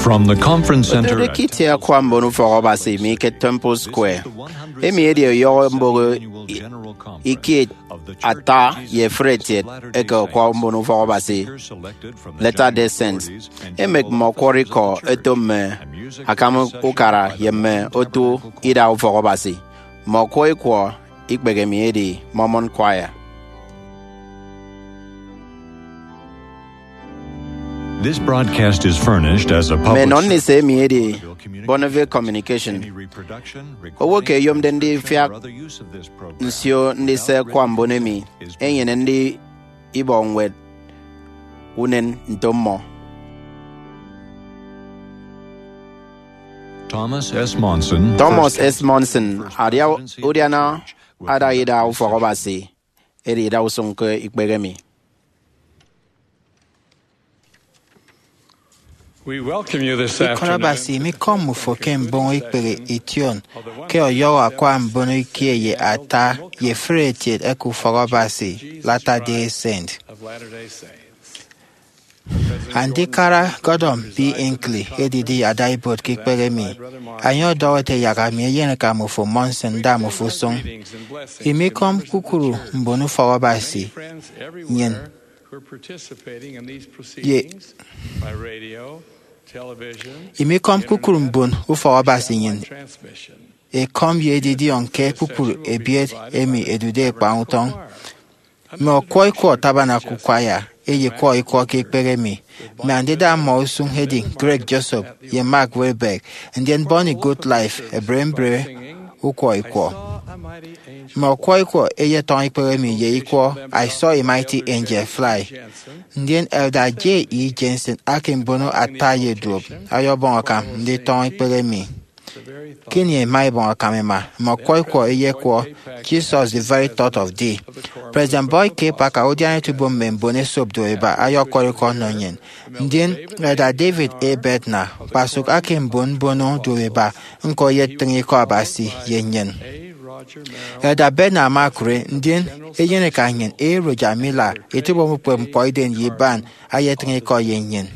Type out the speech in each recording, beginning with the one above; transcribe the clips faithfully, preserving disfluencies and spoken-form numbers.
From the Conference Center. Otode ke itie akwa mbon ufọk Abasi mi ke Temple Square, emi edi ọyọhọ mboho i- ikie ata ye efuri etiet eke akwa mbon ufọk Abasi Latter-day Saints. Emek mme ọkwọrọ ikọ eto mme akam ukara ye mme otu ida ufọk Abasi. Mme ọkwọrọ ikọ ikpehe mi edi Mormon Choir. This broadcast is furnished as a public Mme nọ ndise emi edi Bonneville Communication. Owo ke eyomde ndifiak nsio ndise akwa mbon emi enyene ndi ibọ ñwed unen nto mmọ. Thomas S. Monson, Thomas S. Monson, adia udiana ada ida ufọk Abasi edi ida usụñ ke ikpehe mi. We welcome you this Ikọt afternoon. Abasi mikọm mmufo ke mbono ikpehe ition ke ọyọhọ akwa mbono ikie ye ata ye efuri etiet eke ufọk Abasi Latter-day Saint. Andikara Gordon B. Hinckley edidi ada ibuot ke ikpehe mi. Enye ọdọhọ ete yak ami eyeneka mmufo Monson nda mmufo usụñ. Imikọm kpukpru mbon ufọk Abasi nnyịn ye imikọm kpukpru mbon ufọk Abasi nnyịn ekọm ye edidiọñ ke kpukpru ebiet emi ẹdude ẹkpañ utọñ. Mme ọkwọ ikọ Tabernacle Choir ẹyekwọ ikwọ ke ikpehe mi. Mme andida mmọ usụñ ẹdi Greg Josop ye Mark Wahlberg, ndien Bonnie Gottlieb ẹbre mbre ukwọ ikwọ. Mme ọkwọ ikwọ ẹyetọñọ ikpehe mi ye ikwọ I Saw a Mighty Angel Fly. Ndien Elder J. E. Jensen, akembono ata ye duop, ọyọbọñ akam nditọñọ ikpehe mi. Ke ini ẹma ẹbọñ akam ẹma, mme ọkwọ ikwọ ẹyekwọ Jesus, the Very Thought of Thee. President Boyd K. Packer, udiana etubom mme mbon esop duop iba, ayọkwọrọ ikọ ọnọ nnyịn. Ndien Elder David A. Bednar, kpasụk akembon mbono duop iba, ñko eyetịñ ikọ Abasi ye nnyịn. Elder Bednar ama okụre, ndien eyeneka nnyịn, A. Roger Miller, etubom ukpepñkpọ idem ye iban, ayetịñ ikọ ye nnyịn.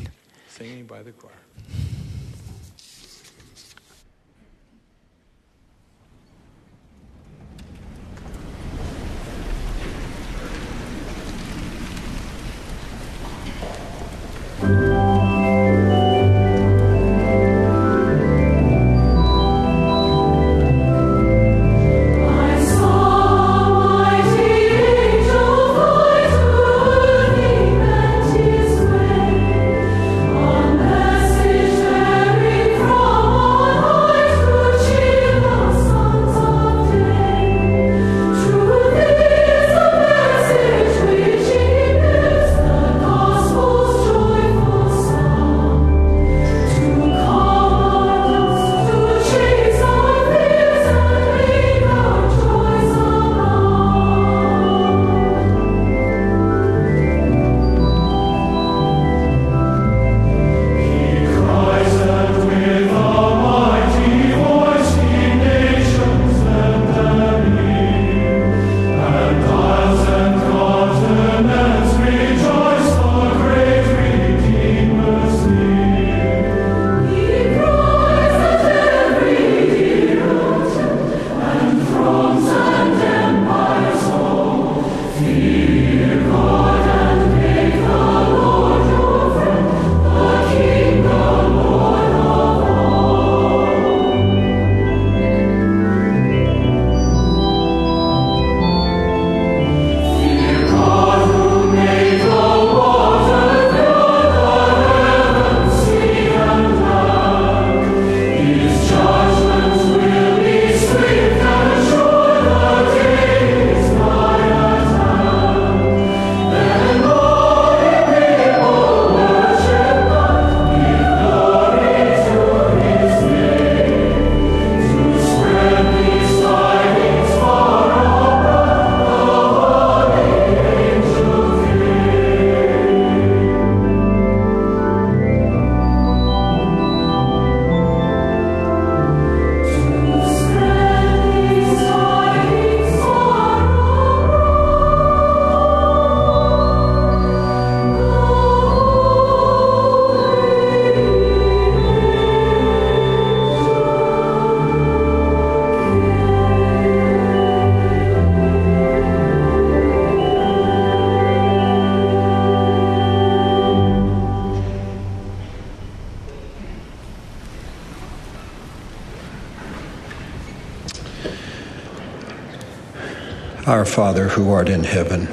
Our Father who art in heaven,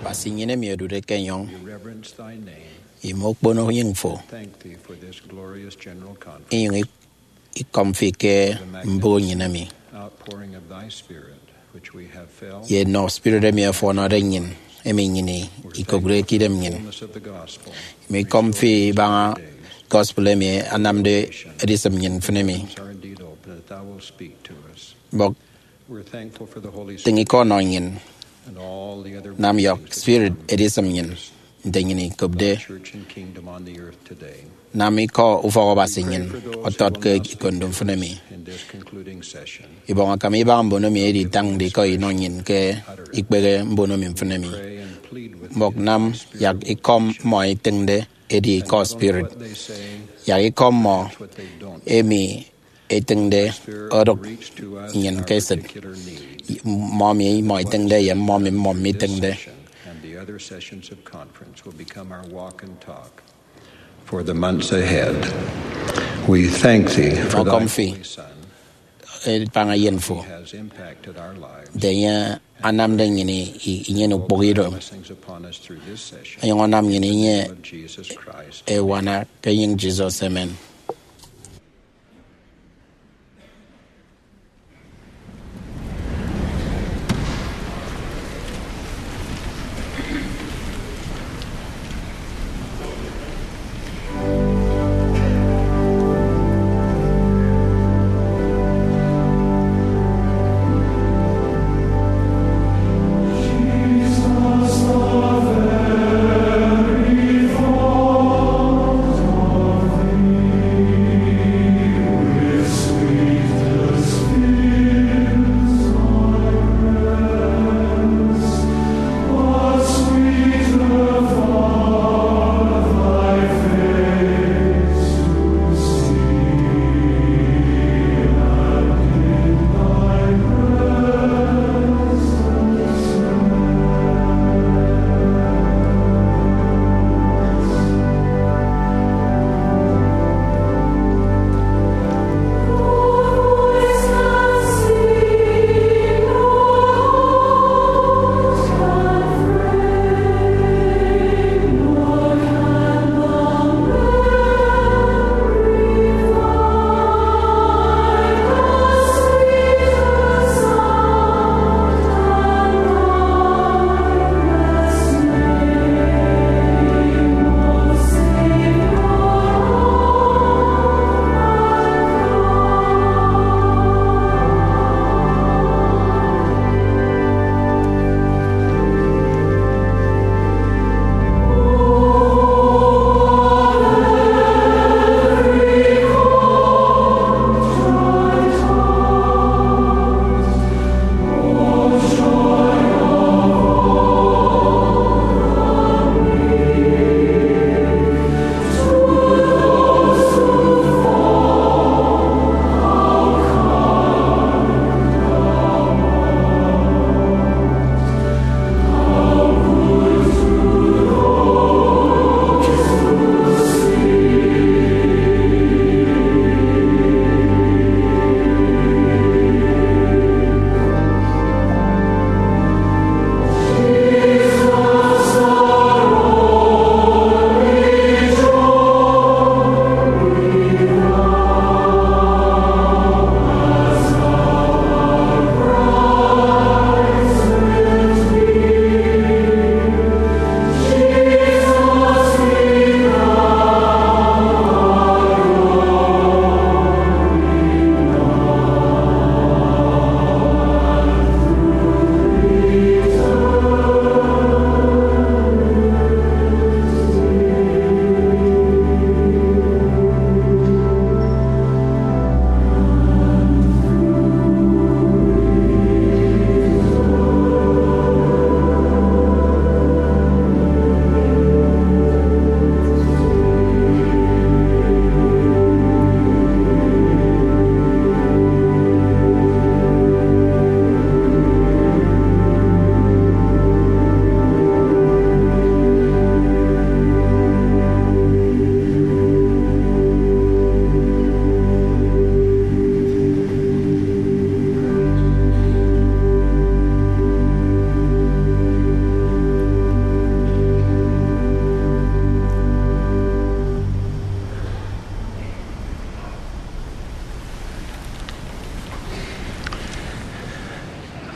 Abasi nnyịn emi odude ke enyọñ, we reverence thy name, imo okpono enyịñ fo, thank thee for this glorious general conference, inyụñ ikọm fi ke the mbụk nnyịn emi, outpouring of thy Spirit, which we have felt, ye nnọ spirit emi ọfọnọde nnyịn, emi nnyịn ikopde ke idem nnyịn. Fullness of the gospel, imo ikọm fi ibaña gospel emi anamde edisịm nnyịn mfịn emi. Heavens are indeed open, that thou wilt speak to us. Mbọk, we're thankful for the Holy tịñ Spirit ikọ ọnọ nnyịn, and all the other nam yọk blessings that spirit come edisịm nnyịn nte nnyịn ikopde. Church and kingdom on the earth today. Nam ikọ ufọk Abasi nnyịn ọtọt ke ikondo mfịn emi. In this concluding session, ibọñ akam ibaña mbono mi editañde ikọ inọ nnyịn ke ikpehe mbono mi mfịn emi. Pray and plead with, mbọk, them, nam yak ikọ mmọ itịñde edi ikọ spirit. Yak ikọ mmọ emi etịñde odụk nnyịn ke esịt, mmọ emi mmọ itịñde ye mmọ emi mmọ mitịñde. And the other sessions of conference will become our walk and talk for the months ahead. We thank thee for thy Holy Son. Ibaña eyen fo, has impacted our lives, nte enye anamde nnyịn i-, i-, inyene ukpụhọ ido. Blessings upon us through this session. Onyụñ ọnam nnyịn inye of Jesus Christ. Ewana ke enyịñ Jesus, amen.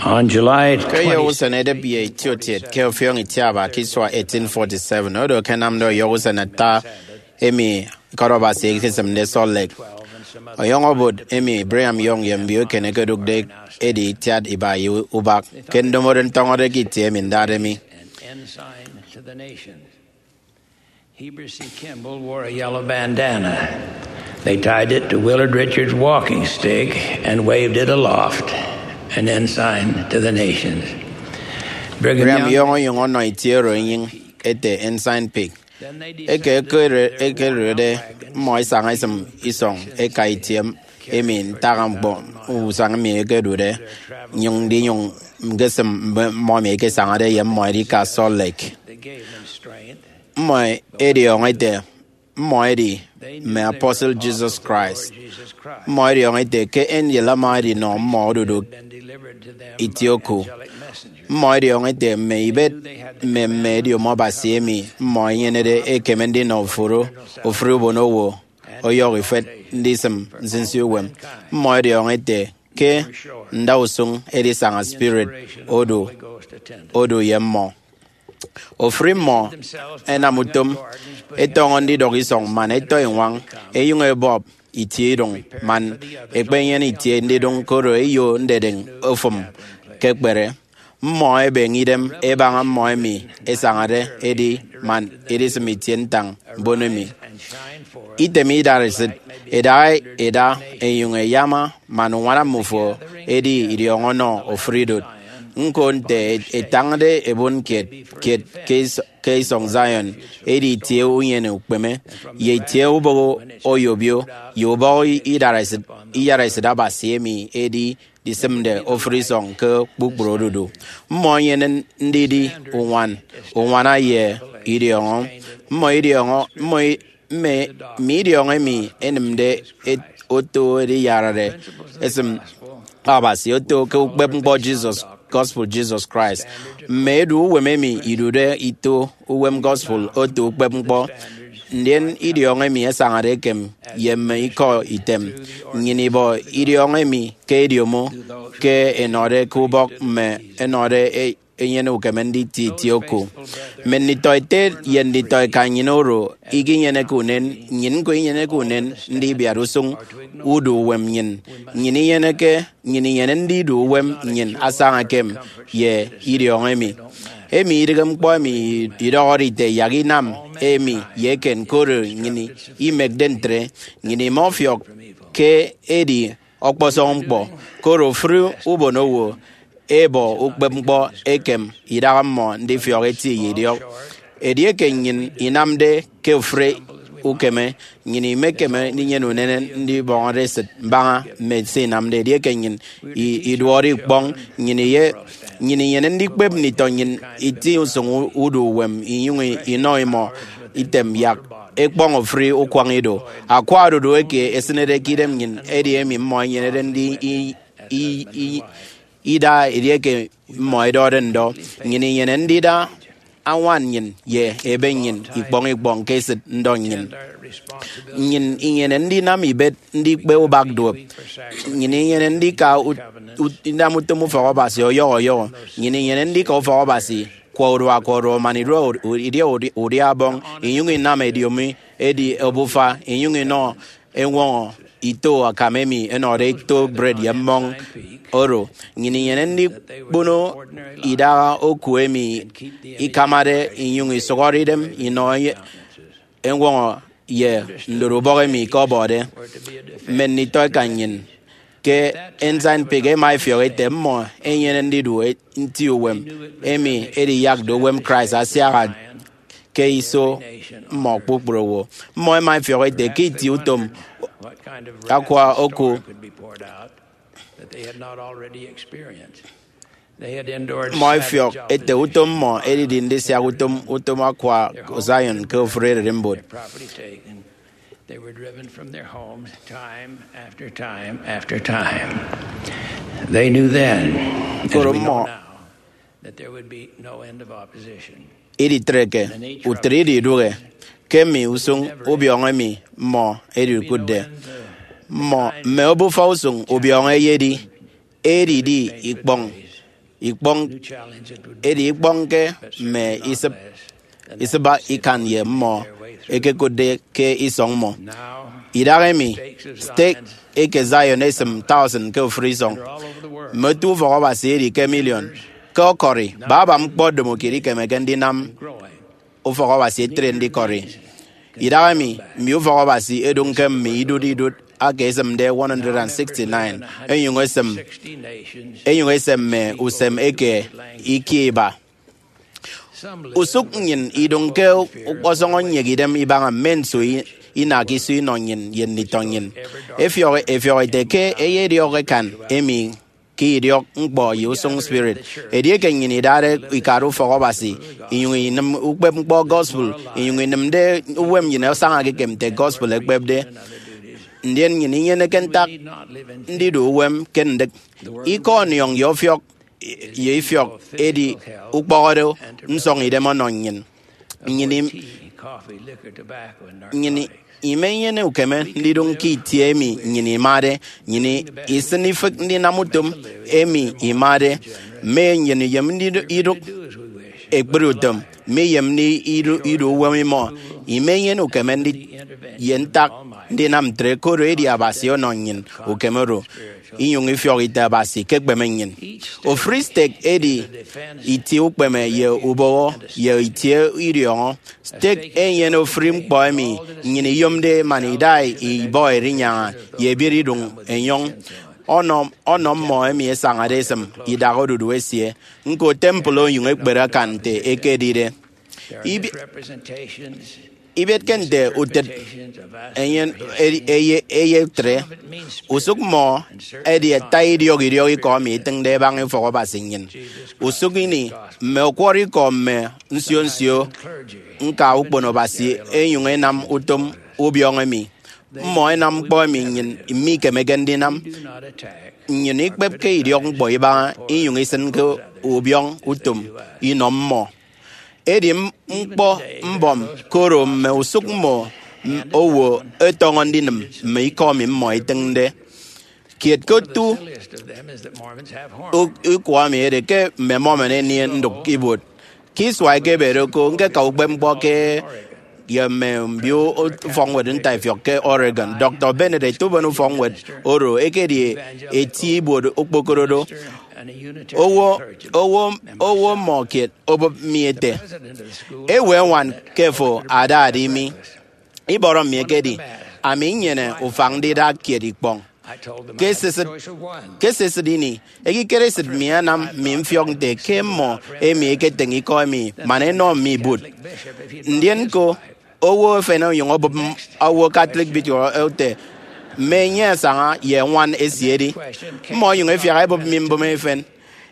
On July ke ọyọhọ twenty, usen edịp ye itiokiet ke ọfiọñ itiaba ke isua eighteen forty-seven, oro akanamde ọyọhọ usen ata emi ikọt Abasi ekesịmde Salt Lake. Ọyọhọ obot emi Brigham Young ye mbio eken ẹkedụkde edi itiat iba ye ubak ke ndomodo ntọñọde ke itie emi ndahaemi. Heber C. Kimball wore a yellow bandana. They tied it to Willard Richards' walking stick and waved it aloft, an ensign to the nations. Brigham Young onyụñ ọnọ itie oro enyịñ ete Ensign Peak. Eke ekerede, mmọ isaña isịm isọñ eka itie emi ntak ñkpọ usañ mi ẹkedude, nnyụñ ndinyụñ ñkesịm mmọ emi ẹkesañade ye mmọ ẹdika Salt Lake. Mmọ ẹdiọñọ ẹte mmọ ẹdi mme apostle Jesus Christ. Mmọ ẹdiọñọ ẹte ke angel ama edinọ mmọ odudu itie oku. Mmọ ẹdiọñọ ẹte mme ibet mme mme ediomo Abasi emi mmọ ẹnyenede ẹkeme ndinọ ofụri, ofụri ubonowo ọyọhọ ifet ndisịm nsinsi uwem. Mmọ ẹdiọñọ ẹte ke ndausụñ edisaña spirit odu, odu ye mmọ. Ofụri mmọ ẹnam utom ẹtọñọ ndidọk isọñ man ẹtọ iñwañ, ẹnyụñ ẹbọp itie idụñ man ẹkpenyene itie ndidụñ, koro eyo ndedịñ ofụm ke ekpere. Mmọ ẹbeñe idem ẹbaña mmọ emi ẹsañade ẹdi man ẹdisịm itie ntañ mbon emi. Item idaresit ẹda ẹda ẹnyụñ ẹyama man uñwana mmufo edi idiọñọ ọnọ ofụri idụt. Ñko nte ẹtañde ẹbon kiet kiet ke is-, ke isọñ Zion, edi itie unyene ukpeme, ye itie ubọhọ oyobio, ye ubọhọ idaresit, iyaresit Abasi emi edi disịmde ofụri isọñ ke kpukpru odudu. Mmọ ẹnyene ndidi uñwan, uñwana ye idiọñọ. Mmọ idiọñọ, mmọ i-, mme, mme idiọñọ emi ẹnịmde et-, oto ediyarare esịm Abasi oto ke ukpepñkpọ Jesus, gospel Jesus Christ. Mme edu uwem emi idude ito uwem gospel oto ukpepñkpọ, ndien idiọñọ emi ẹsañade ekem ye mme ikọ item. Nnyịn ibọ idiọñọ emi ke ediomo ke ẹnọde ke ubọk mme ẹnọde e-, enyene ukeme nditie itie oku. Mme nditọ ete ye nditọ eka nnyịn oro ikinyeneke unen, nnyịn ñko inyeneke unen ndibiat usụñ udu uwem nnyịn. Nnyịn inyeneke, nnyịn inyene ndidu uwem nnyịn asaña ekem ye idiọñọ emi. Emi idịghe ñkpọ emi idọhọde ite yak inam emi ye eken, koro nnyịn imekde ntre. Nnyịn imọfiọk ke edi ọkpọsọñ ñkpọ, koro ofụri ubonowo ẹbọ ukpepñkpọ ekem idaha mmọ ndifiọk eti ye idiọk. Edieke nnyịn inamde ke ofụri ukeme, nnyịn imekeme ndinyene unen ndibọñọde esịt mbaña mme se inamde. Edieke nnyịn i-, iduọde ikpọñ, nnyịn iye, nnyịn inyene ndikpep nditọ nnyịn iti usụñ u-, udu uwem, inyụñ i-, inọ imọ item yak ẹkpọñ ofụri ukwañ ido. Akwa odudu eke esịnede ke idem nnyịn edi emi mmọ ẹnyenede ndi i-, i-, i-, ida edieke mmọ ẹdọde ndọ. Nnyịn inyene ndida añwan nnyịn ye ebe nnyịn ikpọñ ikpọñ ke esịt ndọ nnyịn. Nnyịn inyene ndinam ibet ndikpe ubak duop. Nnyịn inyene ndika ut-, ut-, inam utom ufọk Abasi ọyọhọ ọyọhọ. Nnyịn inyene ndika ufọk Abasi kwa urua kwa urua man idia udi-, idia udi-, udia ọbọñ, inyụñ inam ediomi edi obufa, inyụñ inọ eñwọñọ ito akam emi ẹnọde ito bred ye mmọñ oro. Nnyịn inyene ndikpono idaha oku emi ikamade inyụñ isụhọde idem inọ ye-, eñwọñọ ye ndoro ubọk emi ikọbọde. Mme nditọ eka nnyịn ke Ensign Peak ẹma ẹfiọk ẹte mmọ ẹnyene ndidu e-, nti uwem emi ediyakde uwem Christ asiaha ke iso mmọ kpukpru owo. Mmọ ẹma ẹfiọk ẹte ke itie utom akwa oku Mmọ ẹfiọk ẹte utom mmọ edidi ndisiak utom, utom akwa Zion ke ofụri ererimbot. They were driven from their homes time after time after time. They knew then, as we know now, that there would be no end of opposition. Iditreke utịt idi idụhe ke mme usụñ ubiọñọ emi mmọ ẹdikụtde. Mmọ, mme obufa usụñ ubiọñọ ẹyedi, edidi ikpọñ ikpọñ edi ikpọñke mme isịba ikan ye mmọ ẹkekụtde ke isọñ mmọ. Idahaemi, stake eke Zion esịm tausin ke ofụri isọñ. Mme otu ufọkabasi edi ke miliọn. Ke ọkọri, baba ñkpọ domokiet ikemeke ndinam ufọkabasi etre ndikọri. Idahaemi, mme ufọkabasi ẹdụñ ke mme idụt idụt aka esịmde one hundred sixty-nine, ẹnyụñ ẹsịm, ẹnyụñ ẹsịm mme usem eke ikie iba. Usụk nnyịn idụñ ke ukpọsọñọ nyek idem ibaña mme nso inakiso inọ nnyịn ye nditọ nnyịn. Ẹfiọk ẹfiọk ẹte ke ẹyediọk ẹkan emi ke idiọk ñkpọ ye usụñ spirit. Edieke nnyịn idade ikade ufọkabasi inyụñ inịm ukpepñkpọ gospel, inyụñ inịmde uwem nnyịn asañake ekem nte gospel ekpepde, ndien nnyịn inyeneke ntak ndidu uwem ke ndịk ikọ ọniọñ ye ọfiọk ye ifiọk edi ukpọhọde nsọñidem ọnọ nnyịn. Nnyịn im- nnyịn imenyene ukeme ndidụñ ke itie emi nnyịn imade. Nnyịn isịn ifịk ndinam utom emi imade. Mme nnyịn iyem ndidụk ekpri utom, mme iyem ndidu uwem imọ. Imenyene ukeme ndi- ye ntak ndinam ntre, koro edi Abasi ọnọ nnyịn ukeme oro, inyụñ ifiọk ite Abasi ekekpeme nnyịn. Ofụri stake edi itie ukpeme ye ubọhọ ye itie idiọñọ. Stake enyene ofụri ñkpọ emi nnyịn iyomde man ida ibọ erinyaña ye ebiet iduñ enyọñ ọnọ, ọnọ mmọ emi ẹsañade ẹsịm idak odudu esie. Ñko, temple onyụñ ekpere akan nte ekedide. Ibi- Ibietke nte utịt eyen eye, eye etre. Usụk mmọ ẹdi ata idiọk idiọk ikọ emi itịñde ẹbaña ufọkabasi nnyịn. Usụk ini, mme ọkwọrọ ikọ mme nsio nsio ñka ukpono Abasi ẹnyụñ ẹnam utom ubiọñọ emi. Mmọ ẹnam ñkpọ emi nnyịn mikemeke ndinam. Nnyịn ikpepke idiọk ñkpọ ibaña inyụñ isịnke ubiọñ utom inọ mmọ. Edi m- ñkpọ mbọm, koro mme usụk mmọ m- owo ẹtọñọ ndinịm mme ikọ emi mmọ itịñde. Kiet ke otu u- ikọ emi edi ke mme Mormon ẹnie ndụk ibuot. Ke isua ẹkebede ko, ñkeka ukpepñkpọ ke ye mme mbio ufọkñwed ntaifiọk ke Oregon. Doctor Bennett, ete uben ufọkñwed oro, ekedi eti ibuot okpokoro do. Owo, owo, owo mmọ kiet obụp mi ete, "Ewe ñwan ke fo ada ada imi?" Ibọrọ mi ekedi, ami nnyene ufak ndida kiet ikpọñ. Ke esisịt, ke esisịt ini, ekikere esịt mi anam mi mfiọk nte ke mmọ emi ẹketịñ ikọ emi man ẹnọ mi bụt. Ndien ñko, owo efen onyụñ obụp m- owo Catholic bishop ete, "Mme enye asaña ye ñwan esie edi." Mmọ ẹnyụñ ẹfiak ẹbụp mi mbụme efen.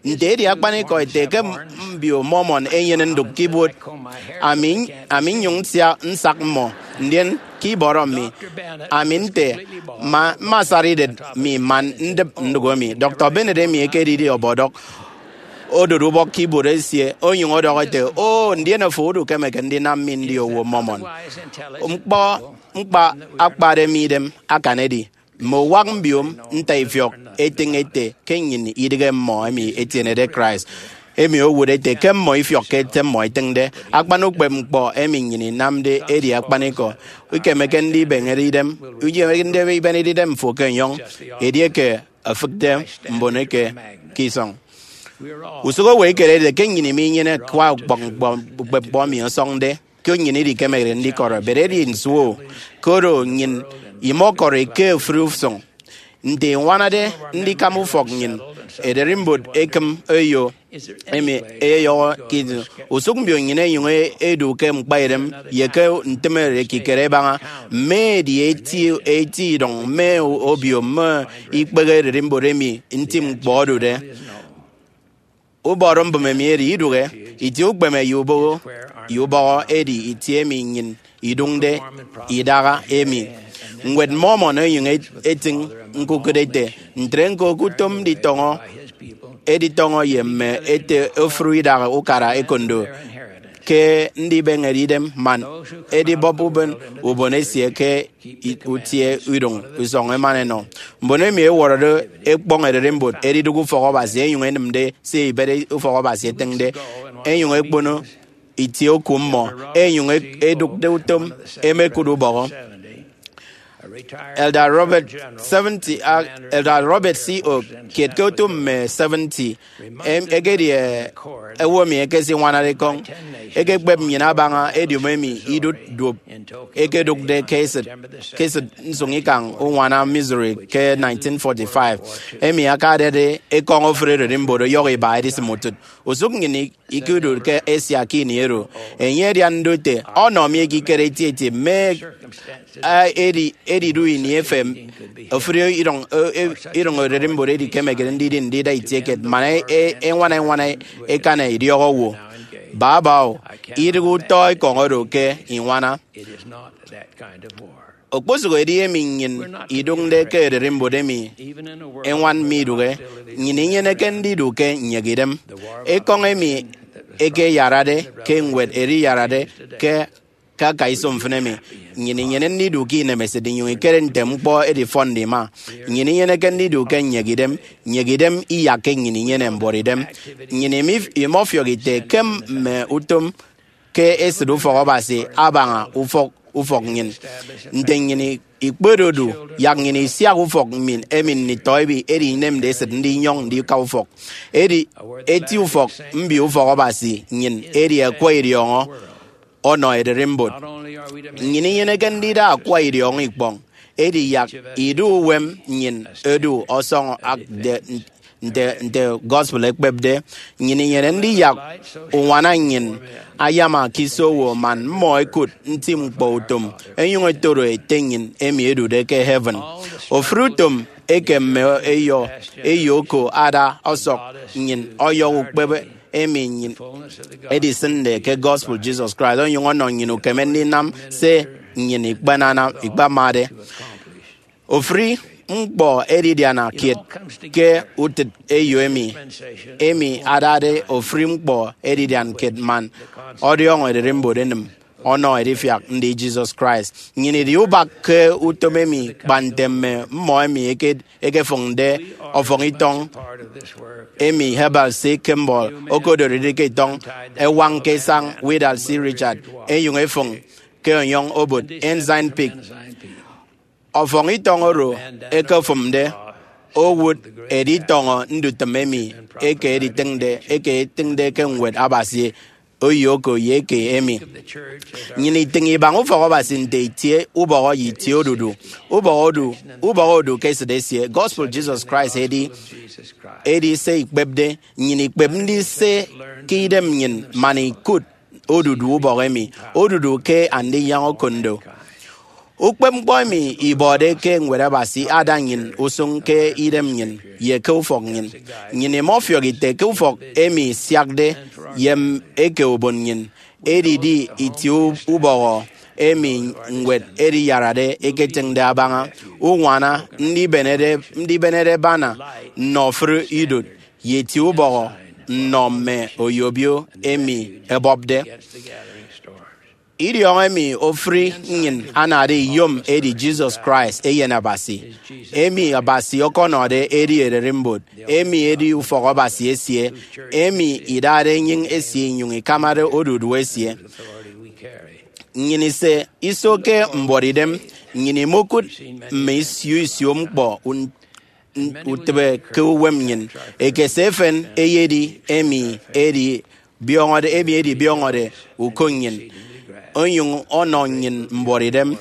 Nte edi akpanikọ ete ke m- mbio Mormon ẹnyene ndụk ke ibuot? Ami, ami nnyụñ nsia nsak mmọ, ndien ke ibọrọ mi, ami nte, "Ma, mmasara idet mi man ndịp ndụk emi." Doctor Bennett emi ekedide ọbọdọk odot ubọk ke ibuot esie, onyụñ ọdọhọ ete, "O, ndien afo udukemeke ndinam mi ndi owo Mormon." Ñkpọ ñkpa akpade mi idem akan edi, mme uwak mbio ntaifiọk etịñ ete ke nnyịn idịghe mmọ emi ẹtienede Christ. Emi owụt ete ke mmọ ifiọkke se mmọ itịñde. Akpan ukpepñkpọ emi nnyịn inamde edi akpanikọ. Ikemeke ndibeñede idem, ikemeke ndibeñede idem fo ke enyọñ edieke efịkde mbon eke ke isọñ. Usụk owo ekerede ke nnyịn minyene akwa ukpepñkpọ, ukpepñkpọ emi ọsọñde, ke nnyịn idikemekde ndikọrọ, but edi nso? Koro nnyịn imọkọri ke ofụri usụñ. Nte iñwanade ndikama ufọk nnyịn, ererimbot ekịm eyo emi eyeyọhọ ke idem. Usụk mbio nnyịn ẹnyụñ ẹdu ke ñkpaidem ye ke ntịme ekikere ẹbaña mme edi eti, eti idọñ mme obio mme ikpehe ererimbot emi nti ñkpọ odude. Ubọrọ mbụme mi edi idụhe itie ukpeme ye ubọhọ, ye ubọhọ edi itie emi nnyịn idụñde idaha emi. Ñwed Mormon onyụñ et- etịñ ñkukụt ete, "Ntre ñko ke utom nditọñọ, editọñọ ye mme ete ofụri idaha ukara ekondo, ke ndibeñede idem man edibọp uben ubon esie ke i- utie iduñ isọñ eman enọ. Mbon emi ẹwọrọde ekpọñ ererimbot ẹdidụk ufọk Abasi ẹnyụñ ẹnịmde se ibet ufọk Abasi etịñde, ẹnyụñ ẹkpono itie oku mmọ, ẹnyụñ ẹdụkde utom, ẹmekụt ubọhọ. Elder Robert seventy, ah, Elder Robert C. Oak, kiet ke otu mme seventy, em, ekedi, eh, owo emi ekesiñwanade ekọñ, ekekpep nnyịn abaña ediom emi idụt duop ekedụkde ke esịt, ke esịt nsụñikañ uñwana Missouri ke nineteen forty-five, emi akadade ekọñ ofụri ererimbot ọyọhọ iba edisịm utịt. Usụk nnyịn ikedot ke Asia ke ini oro. Enye adian ndote ọnọ mi ekikere etieti mme, a, edi, edidu ini efen ofụri iduñ, e, e, iduñ ererimbot edikemekde ndidi ndida itie kiet man e, e, eñwana eñwana ekan idiọk owo. Baba o, idịghe utọ ekọñ oro ke iñwana. Okposụk edi emi nnyịn idụñde ke ererimbot emi eñwan midụhe, nnyịn inyeneke ndidu ke nyek idem. Ekọñ emi ekeyarade ke ñwed eriyarade ke, ke aka iso mfịn emi. Nnyịn inyene ndidu ke inemesịt inyụñ ikere nte ñkpọ edifọnde ima. Nnyịn inyeneke ndidu ke nyek idem. Nyek idem iyakke nnyịn inyene mbuọtidem. Nnyịn imi-, imọfiọk ite ke mme utom ke esịt ufọk Abasi abaña ufọk, ufọk nnyịn. Nte nnyịn ikpedodu, yak nnyịn isiak ufọk mmịn emi nditọ emi edi inemde esịt ndinyọñ ndika ufọk. Edi eti ufọk mbio ufọk Abasi nnyịn edi akwa idiọñọ ọnọ ererimbot. Nnyịn inyeneke ndida akwa idiọñọ ikpọñ, edi yak idu uwem nnyịn edu ọsọñọ ak de nte, nte gospel ekpepde. Nnyịn inyene ndiyak uñwana nnyịn ayama ke iso owo man mmọ ẹkụt nti ñkpọ utom ẹnyụñ ẹtoro Ete nnyịn emi edude ke heaven. Ofụri utom eke mme eyo, eyo oko ada ọsọk nnyịn ọyọhọ ukpep emi nnyịn edisịnde ke gospel Jesus Christ onyụñ ọnọ nnyịn ukeme ndinam se nnyịn ikpenanam, ikpamade. Ofụri ñkpọ edidiana kiet ke utịt eyo emi, emi adade ofụri ñkpọ edidian kiet man ọdiọñọ ererimbot enịm ọnọ edifiak ndi Jesus Christ. Nnyịn idi ubak ke utom emi kpa nte mme mmọ emi eke-, ekefụñde ọfọñ itọñ emi Heber C. Kimball okodoride ke itọñ, ẹwañ ke isañ Willard C. Richard, ẹnyụñ ẹfụñ ke ọnyọñ obot Ensign Peak. Ọfọñ itọñ oro ẹkefụmde owụt editọñọ ndutịm emi eke editịñde, eke etịñde ke Ñwed Abasi, oyo oko ye eke emi. Nnyịn itịñ ibaña ufọk Abasi nte itie ubọhọ ye itie odudu. Ubọhọ odu, ubọhọ odu ke esịt esie. Gospel Jesus Christ edi, edi se ikpepde. Nnyịn ikpep ndise ke idem nnyịn man ikụt odudu ubọhọ emi, odudu ke Andinyaña Okondo. Ukpepñkpọ emi ibọde ke Ñwed Abasi ada nnyịn usụñ ke idem nnyịn ye ke ufọk nnyịn. Nnyịn imọfiọk ite ke ufọk emi isiakde ye m-, eke ubon nnyịn edidi itie u-, ubọhọ emi ñwed ediyarade eketịñde abaña uñwana ndibenede, ndibenede bana nnọ ofụri idụt ye itie ubọhọ nnọ mme oyobio emi ẹbọpde. Idiọñọ emi ofụri nnyịn anade iyom edi Jesus Christ, Eyen Abasi, emi Abasi ọkọnọde edi ererimbot, emi edi ufọk Abasi esie, emi idade enyịñ esie inyụñ ikamade odudu esie. Nnyịn ise iso ke mbuọtidem, nnyịn imokụt mme isio isio ñkpọ un-, n-, utịbe ke uwem nnyịn. Ekese efen eyedi emi edi biọñọde, emi edi biọñọde uko nnyịn, onyụñ ọnọ nnyịn mbuọtidem.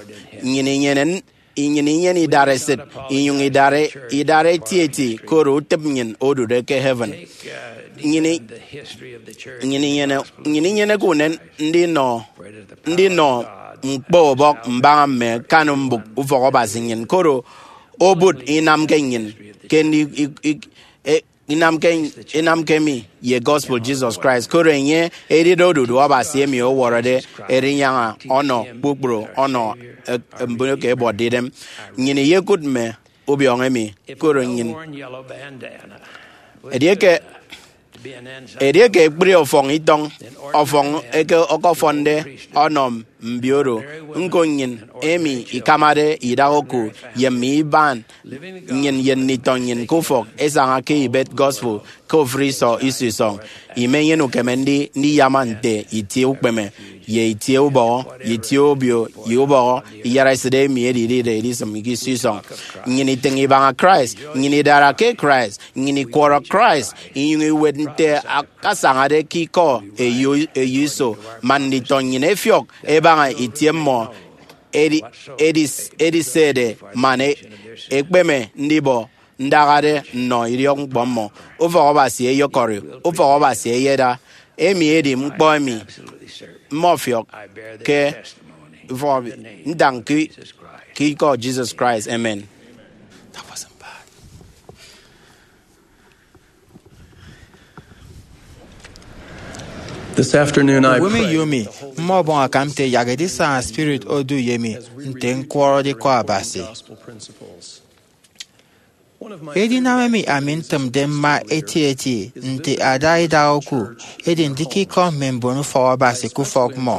Nnyịn inyene n-, nnyịn inyene idaresit, inyụñ idare, idara etieti, koro utịp nnyịn odude ke heaven. Nnyịn i-, nnyịn inyene, nnyịn inyeneke unen ndinọ, ndinọ ñkpọ ubọk mbaña mme akan mbụk ufọk Abasi nnyịn, koro obụt inamke nnyịn ke ndi-, i-, i-, e-, inamke, inamke mi ye gospel Jesus Christ, koro enye edide odudu Abasi emi ọwọrọde Erinyaña ọnọ kpukpru ọnọ, e-, mbon eke ẹbọpde idem. Nnyịn iyekụt mme ubiọñọ emi, koro nnyịn. Edieke Edieke ekpri ọfọñ itọñ, ọfọñ eke ọkọfọnde ọnọ mbio oro, ñko nnyịn emi ikamade idaha oku ye mme iban nnyịn ye nditọ nnyịn ke ufọk esaña ke ibet gospel ke ofụri iso iso isọñ, imenyene ukeme ndi ndiyama nte itie ukpeme ye itie ubọhọ ye itie obio ye ubọhọ iyaraesịt emi edidide edisịm ke iso isọñ. Nnyịn itịñ ibaña Christ, nnyịn idara ke Christ, nnyịn ikwọrọ Christ, inyụñ iwet nte akasañade ke ikọ eyo eyo iso, man nditọ nnyịn ẹfiọk ẹbaña itie mmọ edi- edis- edisede man e- ekpeme ndibọ ndahade nnọ idiọkñkpọ mmọ. Ufọk Abasi eyekọri, ufọk Abasi eyeda. Emi edi ñkpọ emi mmọfiọk ke ufọk ntañ ke ke ikọ Jesus Christ. Amen. This afternoon, I Ubom pray iyomi, mmọbọñ akam nte yak edisaña spirit odu ye mi nte ñkwọrọde ikọ Abasi. Edinam emi ami ntịmde mma etieti nte ada idaha oku edi ndikikọm mme mbon ufọk Abasi ke ufọk mmọ.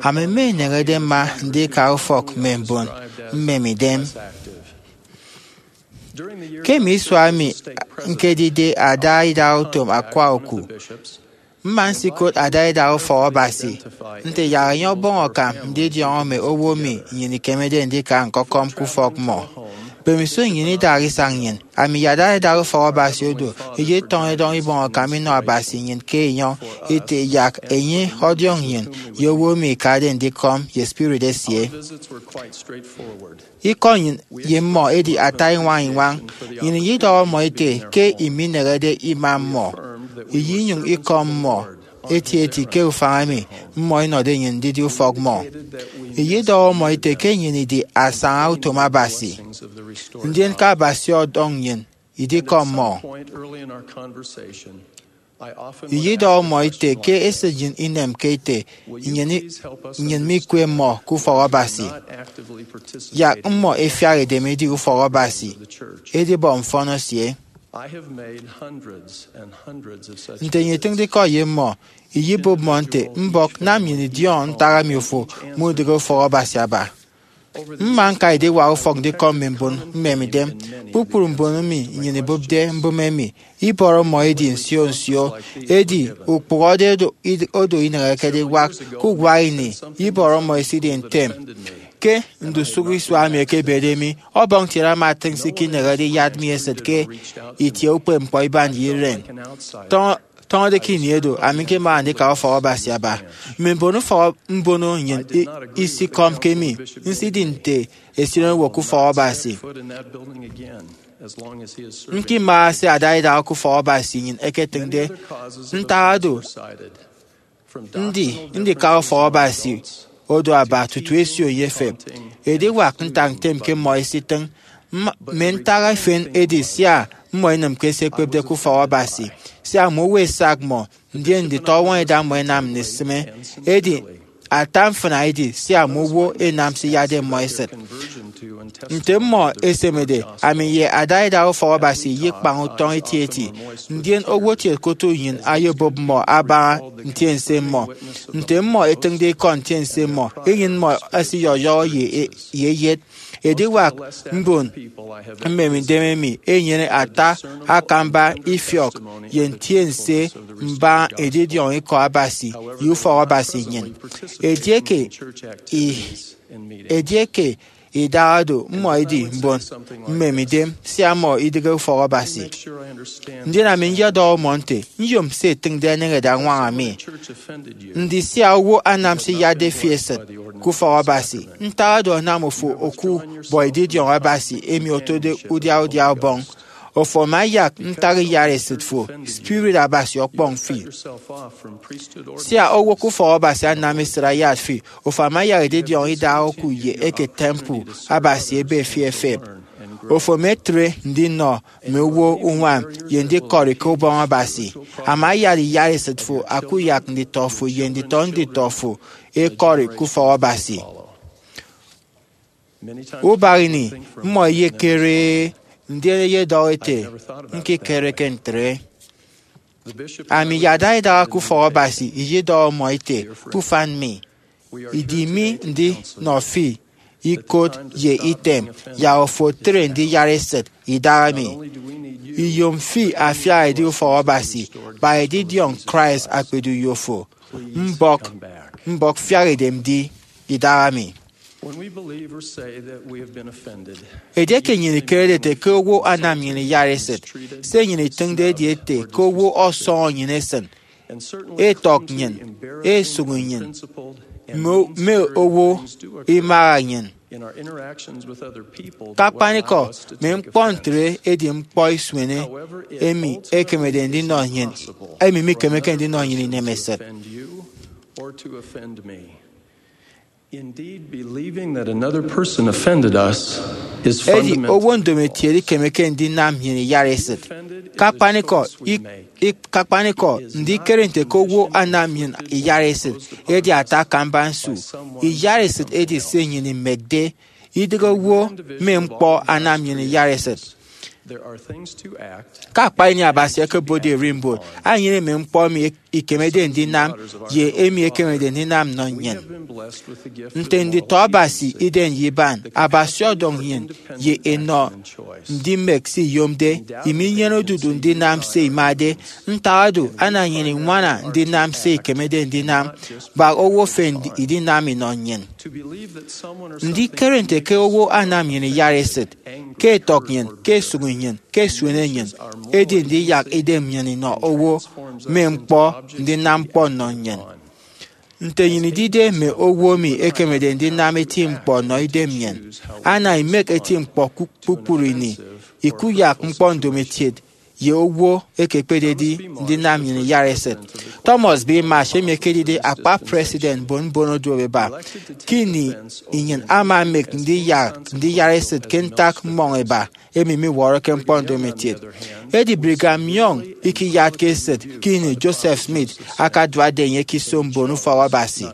Ami mma ineñede mma ndika ufọk mme mbon mmemidem. Ke mme isua emi ñkedide ada idaha utom akwa oku, mma nsikot ada idaha ufọk Abasi nte yak enye ọbọñ akam ndidiọñọ mme owo emi nnyịn ikemede ndika ñkọkọm ke ufọk mmọ. Mbemiso nnyịn idaha isañ nnyịn, ami ye ada idaha ufọk Abasi odu, iyetọñọ idọñ ibọñ akam inọ Abasi nnyịn ke enyọñ ete yak enye ọdiọñ nnyịn ye owo emi ikade ndikọm ye spirit esie. Ikọ nnyịn ye mmọ edi ata iñwañ-iñwañ. Nnyịn iyidọhọ mmọ ete ke imineñede ima mmọ, iyinyụñ ikọm mmọ etieti ke ufañ emi mmọ inọde nnyịn ndidi ufọk mmọ. Iyidọhọ mmọ ete ke nnyịn idi asañautom Abasi, ndien ke Abasi ọdọñ nnyịn idikọm mmọ. Iyidọhọ mmọ ete ke esịt nnyịn inemke ete nnyịn i- nnyịn mikwe mmọ ke ufọk Abasi, yak mmọ ẹfiak edem edi ufọk Abasi edibọ mfọn esie. Nte nnyịn itịñde ikọ ye mmọ, iyibụp mmọ nte, mbọk, nam nnyịn idiọñọ ntak emi ofo mudịghe ufọk Abasi aba. Mma ñka ediwak ufọk ndikọm mme mbon mmemidem. Kpukpru mbon emi nnyịn ibụpde mbụme emi, ibọrọ mmọ edi nsio nsio. Edi ukpụhọde odo, odo ineñekede iwak. Ke uwak ini, ibọrọ mmọ esidi ntem. Ke ndusụk isua emi ẹkebede mi, Ọbọñ kiet ama atịñ se ikineñede iyat mi esịt ke itie ukpepñkpọ iban ye iren. Tọñọ- Tọñọde ke ini edo, ami ñkemana ndika ufọk Abasi aba. Mme mbon ufọk mbono nnyịn i- isikọmke mi, nsidi nte esinowo ke ufọk Abasi. Ñkimara se ada idaha ke ufọk Abasi nnyịn eketịñde. Ntak oro, ndi ndika ufọk Abasi odu aba tutu esio ye efep. Ediwak ntak ntem ke mmọ ẹsitịñ. Mma- mme ntak efen edi sia mmọ inịmke se ekpepde ke ufọk Abasi, sia mme owo ẹsak mmọ, ndien nditọ ọwọñ ẹda mmọ ẹnam ndisịme. Edi ata mfịna edi sia mme owo ẹnam se iyatde mmọ esịt. Nte mmọ ẹsemede, ami ye ada idaha ufọk Abasi iyekpañ utọñ etieti, ndien owo kiet ke otu nnyịn ayebụp mmọ abaña ntiense mmọ. Nte mmọ ẹtịñde ikọ ntiense mmọ, enyịn mmọ esiyọyọhọ ye, ye eyet. Ediwak mbon mmemidem emi ẹnyene ata akamba ifiọk ye ntiense mbaña edidiọñ ikọ Abasi ye ufọk Abasi nnyịn. Edieke i- edieke idaha do, mmọ edi mbon mmemidem sia mmọ idịghe ufọk Abasi. Ndien ami nyedọhọ mmọ nte, nyom se etịñde eneñede añwaña mi. Ndi sia owo anam se iyatde fi esịt ke ufọk Abasi, ntak oro anam ofo oku bọ edidiọñ Abasi emi otode udia udia Ọbọñ. Ofo ama ayak ntak iyat esịt fo, spirit Abasi ọkpọñ fi. Sia owo ke ufọk Abasi anam esịt ayat fi, ofo ama ayak edidiọñ idaha oku ye eke temple Abasi ebe fi efep. Ofo ama etre ndinọ mme owo uñwam ye ndikọri ke Ubọñ Abasi. Ama ayat iyat esịt fo, akuyak nditọ fo ye nditọ nditọ fo ẹkọri ke ufọk Abasi. Ubak ini, mmọ ẹyekere, ndien ẹyedọhọ ẹte, ñkekereke ntre. Ami iyada idaha ke ufọk Abasi iyedọhọ mmọ ete, ke ufan mi, idi mi ndinọ fi ikot ye item, yak ofo otre ndiyara esịt idaha mi. Iyom fi afiak edi ufọk Abasi, kpa edidiọñ Christ akpedi uyo fo. Mbọk, mbọk fiak edem di idaha mi. When we believe or say that we have been offended, Edieke nnyịn ikerede ete ke owo anam nnyịn iyara esịt, se nnyịn itịñde edi ete ke owo ọsọñọ nnyịn esịn, etọk nnyịn, esụk nnyịn, mme mme owo imaha nnyịn. In our interactions with other people, the way I Kakpanikọ, must mme take ñkpọ offense. Ntre edi ñkpọ isuene However, it emi ultimately ekemede is ndinọ nnyịn, impossible emi mikemeke for another ndinọ nnyịn person to inemesịt. Offend you or to offend me. Indeed, believing that another person offended us is Edi fundamental. Owo ndomokiet ikemeke ndinam nnyịn iyara esịt. Offended is a Kakpanikọ choice we ik- make. Ik- kakpanikọ, ndikere nte ke owo anam nnyịn iyara esịt edi ata akamba nsu. Iyara esịt edi se nnyịn imekde, idịghe owo mme ñkpọ anam nnyịn iyara esịt. There are things to act Ke akpa ini Abasi ekebotde ererimbot, enyene mme ñkpọ emi ikemede ndinam ye emi ekemede ndinam nnọ nnyịn. Nte nditọ Abasi idem ye iban, Abasi ọdọñ nnyịn ye enọ ndimek se iyomde, iminyene odudu ndinam se imade. Ntak oro, ana nnyịn iñwana ndinam se ikemede ndinam, bak owo efen idinam inọ nnyịn. Ndikere nte ke owo anam nnyịn iyara esịt, ke etọk nnyịn, ke esụk nnyịn, ke esuene nnyịn, edi ndiyak idem nnyịn inọ owo mme ñkpọ ndinam ñkpọ nnọ nnyịn. Nte nnyịn idide mme owo emi ekemede ndinam eti ñkpọ nnọ idem nnyịn, ana imek eti ñkpọ ku- kpukpru ini, ikuyak ñkpọ ndomokiet ye owo ekekpededi ndinam nnyịn iyara esịt. Thomas B. Marsh, emi ekedide akpa president mbon mbon oduobeba, ke ini nnyịn ama emek ndiyak ndiyara esịt ke ntak mmọñ eba emi miwọrọke ñkpọ ndomokiet. Edi Brigham Young ikiyatke esịt ke ini Joseph Smith akaduakde enye ke iso mbon ufọk Abasi.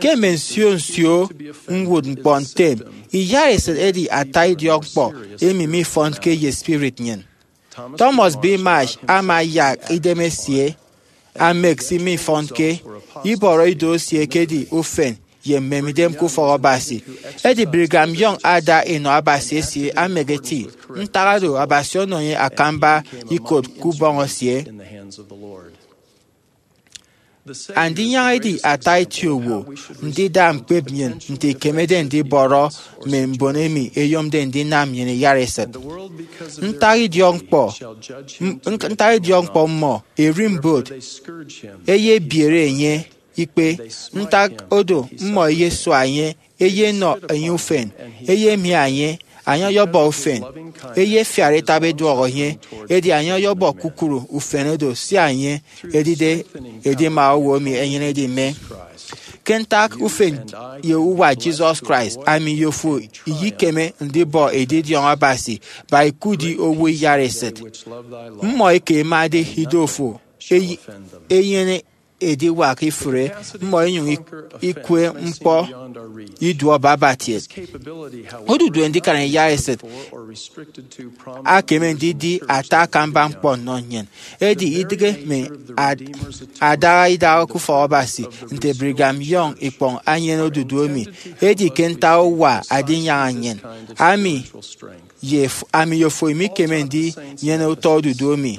Ke mme nsio nsio ñwụtñkpọ ntem, iyara esịt edi ata idiọkñkpọ emi mifọnke ye spirit nnyịn. Thomas B. Marsh ama ayak idemesie amek se mifọnke, ibọrọ ido esie ekedi ufen ye mmemidem ke ufọk Abasi. Edi Brigham Young ada enọ Abasi esie amek eti. Ntak oro, Abasi ọnọ enye akamba ikot ke ubọñ esie. Andinyaña edi ata eti owo ndida ñkpep nnyịn nte ikemede ndibọrọ mme mbon emi ẹyomde ndinam nnyịn iyara esịt. Ntak idiọkñkpọ, m- nk- ntak idiọkñkpọ mmọ erimbot eyebiere enye ikpe. Ntak odo, mmọ eyesua enye, eyenọ enye ufen, eyemia enye, enye ọyọbọ ufen, eyefiara itab eduọhọ enye, edi enye ọyọbọ kpukpru ufen oro sia enye edide edima owo emi enyenede ime. Ke ntak ufen ye uwa Jesus Christ, ami ye ofo iyikeme ndibọ edidiọñ Abasi ba ikudi owo iyara esịt. Mmọ eke ẹmade ido fo eyi- enyene ediwak ifụre mmọ inyụñ ik- ikwe ñkpọ iduọ baba kiet. Odudu ndikan iyara esịt akeme ndidi ata akamba ñkpọ nnọ nnyịn, edi idịghe mme ad- adaha idaha ke ufọk Abasi. Nte Brigham Young ikpọñ enyene odudu emi, edi ke ntak uwa adinyaña nnyịn, ami ye f- ami ye ofo imikeme ndinyene utọ odudu emi.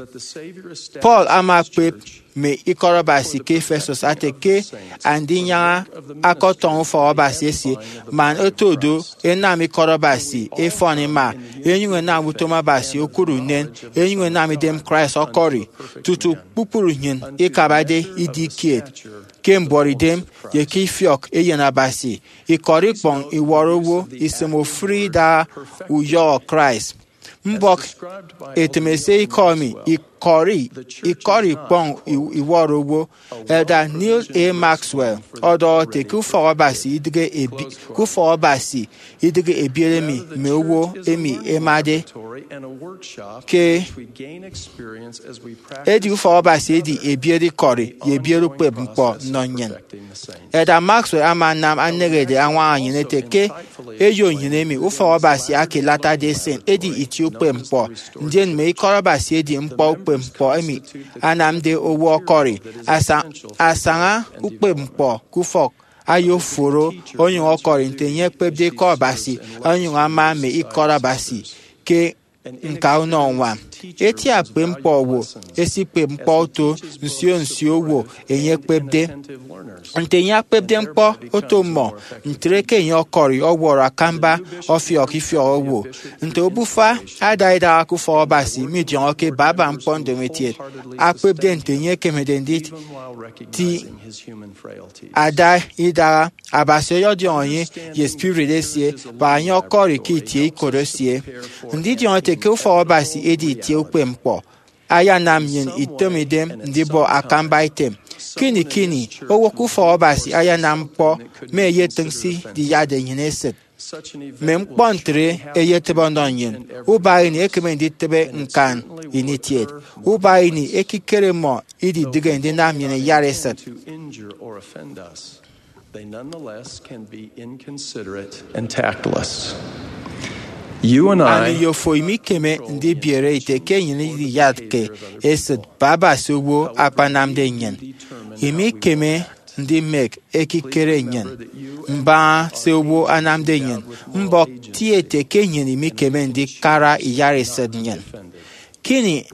Paul ama ekpep mme ikọt Abasi ke Ephesus ate ke andinyaña akọtọñọ ufọk Abasi esie, man otodo enam ikọt Abasi efọn ima, enyuñ enam utom Abasi okụre unen, enyuñ enam idem Christ ọkọri, tutu kpukpru nnyịn ikabade idi kiet ke mbuọtidem ye ke ifiọk Eyen Abasi. Ikọri ikpọñ iwọrọ owo isịm ofụri idaha uyọhọ Christ. Mbọk etịm esie ikọ emi ikọri ikọri ikpọñ iwọrọ owo. Elder Neal A. Maxwell ọdọhọ ete ke ufọk Abasi idịghe ebi- ke ufọk Abasi idịghe ebiere mi mme owo emi ẹmade ke edi ufọk Abasi edi ebiet ikọri ye ebiet ukpep ñkpọ nnọ nnyịn. Elder Maxwell ama anam aneñede añwaña nnyịn ete ke eyo nnyịn emi ufọk Abasi aka Latter-day Saint edi itie ukpep ñkpọ, ndien mme ikọt Abasi edi ñkpọ ukpep ñkpọ emi anamde owo ọkọri. Asa-, asaña ukpep ñkpọ ke ufọk ayoforo onyụñ ọkọri nte enye ekpepde ikọ Abasi, onyụñ ama mme ikọt Abasi ke ñka unọ uñwam. Eti akpep ñkpọ owo esikpep ñkpọ oto nsio nsio owo enye ekpepde. Nte enye akpepde ñkpọ oto mmọ, ntre ke enye ọkọri ọwọrọ akamba ọfiọk ifiọk owo. Nte obufa ada idaha ke ufọk Abasi midiọñọke baba ñkpọ ndomokiet akpepde nte enye ekemede nditi ada idaha, Abasi ọyọdiọñ enye ye spirit esie, bak enye ọkọri ke itie ikot esie. Ndidiọñ ete ke ufọk Abasi edi itie ukpep ñkpọ, ayanam nnyịn itịm idem ndibọ akamba item. Kini kini, owo ke ufọk Abasi ayanam ñkpọ mme eyetịñ se idiyatde nnyịn esịt. Mme ñkpọ ntre eyetịbe ọnọ nnyịn. Ubak ini ekeme nditịbe ñkan ini kiet. Ubak ini ekikere mmọ ididịghe ndinam nnyịn iyat esịt. They nonetheless can be inconsiderate and tactless. You and I Ami ye ofo imikeme ndibiere ite ke nnyịn idiyatke esịt baba se owo akpanamde nnyịn. Imikeme ndimek ekikere nnyịn mbaña se owo anamde nnyịn. Mbọk ti ete ke nnyịn imikeme ndikara iyat esịt nnyịn. Kini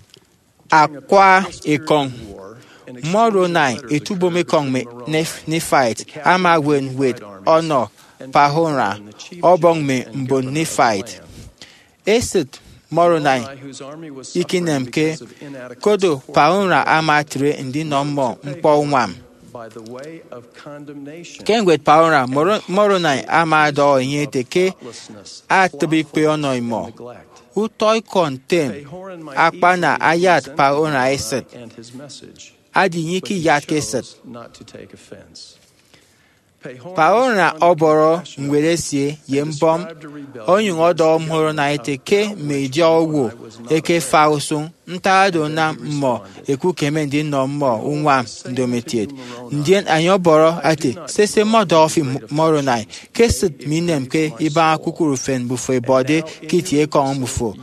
akwa ekọñ Moroni, etubom ekọñ mme Nef-, Nephite, ama ewet ñwed ọnọ Pahora, ọbọñ mme mbon Nephite. Esịt Moroni ikinemke, koro Pahora ama etre ndinọ mmọ ñkpọ uñwam. Ke ñwed Pahora, Moro-, Moroni ama ọdọhọ enye ete ke atịbe ikpe ọnọ imọ. Utọ ikọ ntem akpana ayat Pahora esịt, adi enye ikiyatke esịt. Pahora ọbọrọ ñwed esie ye mbọm, onyụñ ọdọhọ Moroni ete ke mme idiọk owo ẹkefa usụñ, ntak oro anam mmọ ẹkukeme ndinọ mmọ uñwam ndomokiet. Ndien enye ọbọrọ ete, sese, mmọdọhọ fi Moroni, ke esịt minemke ibaña kpukpru ufen mbufo ẹbọde ke itie ekọñ mbufo.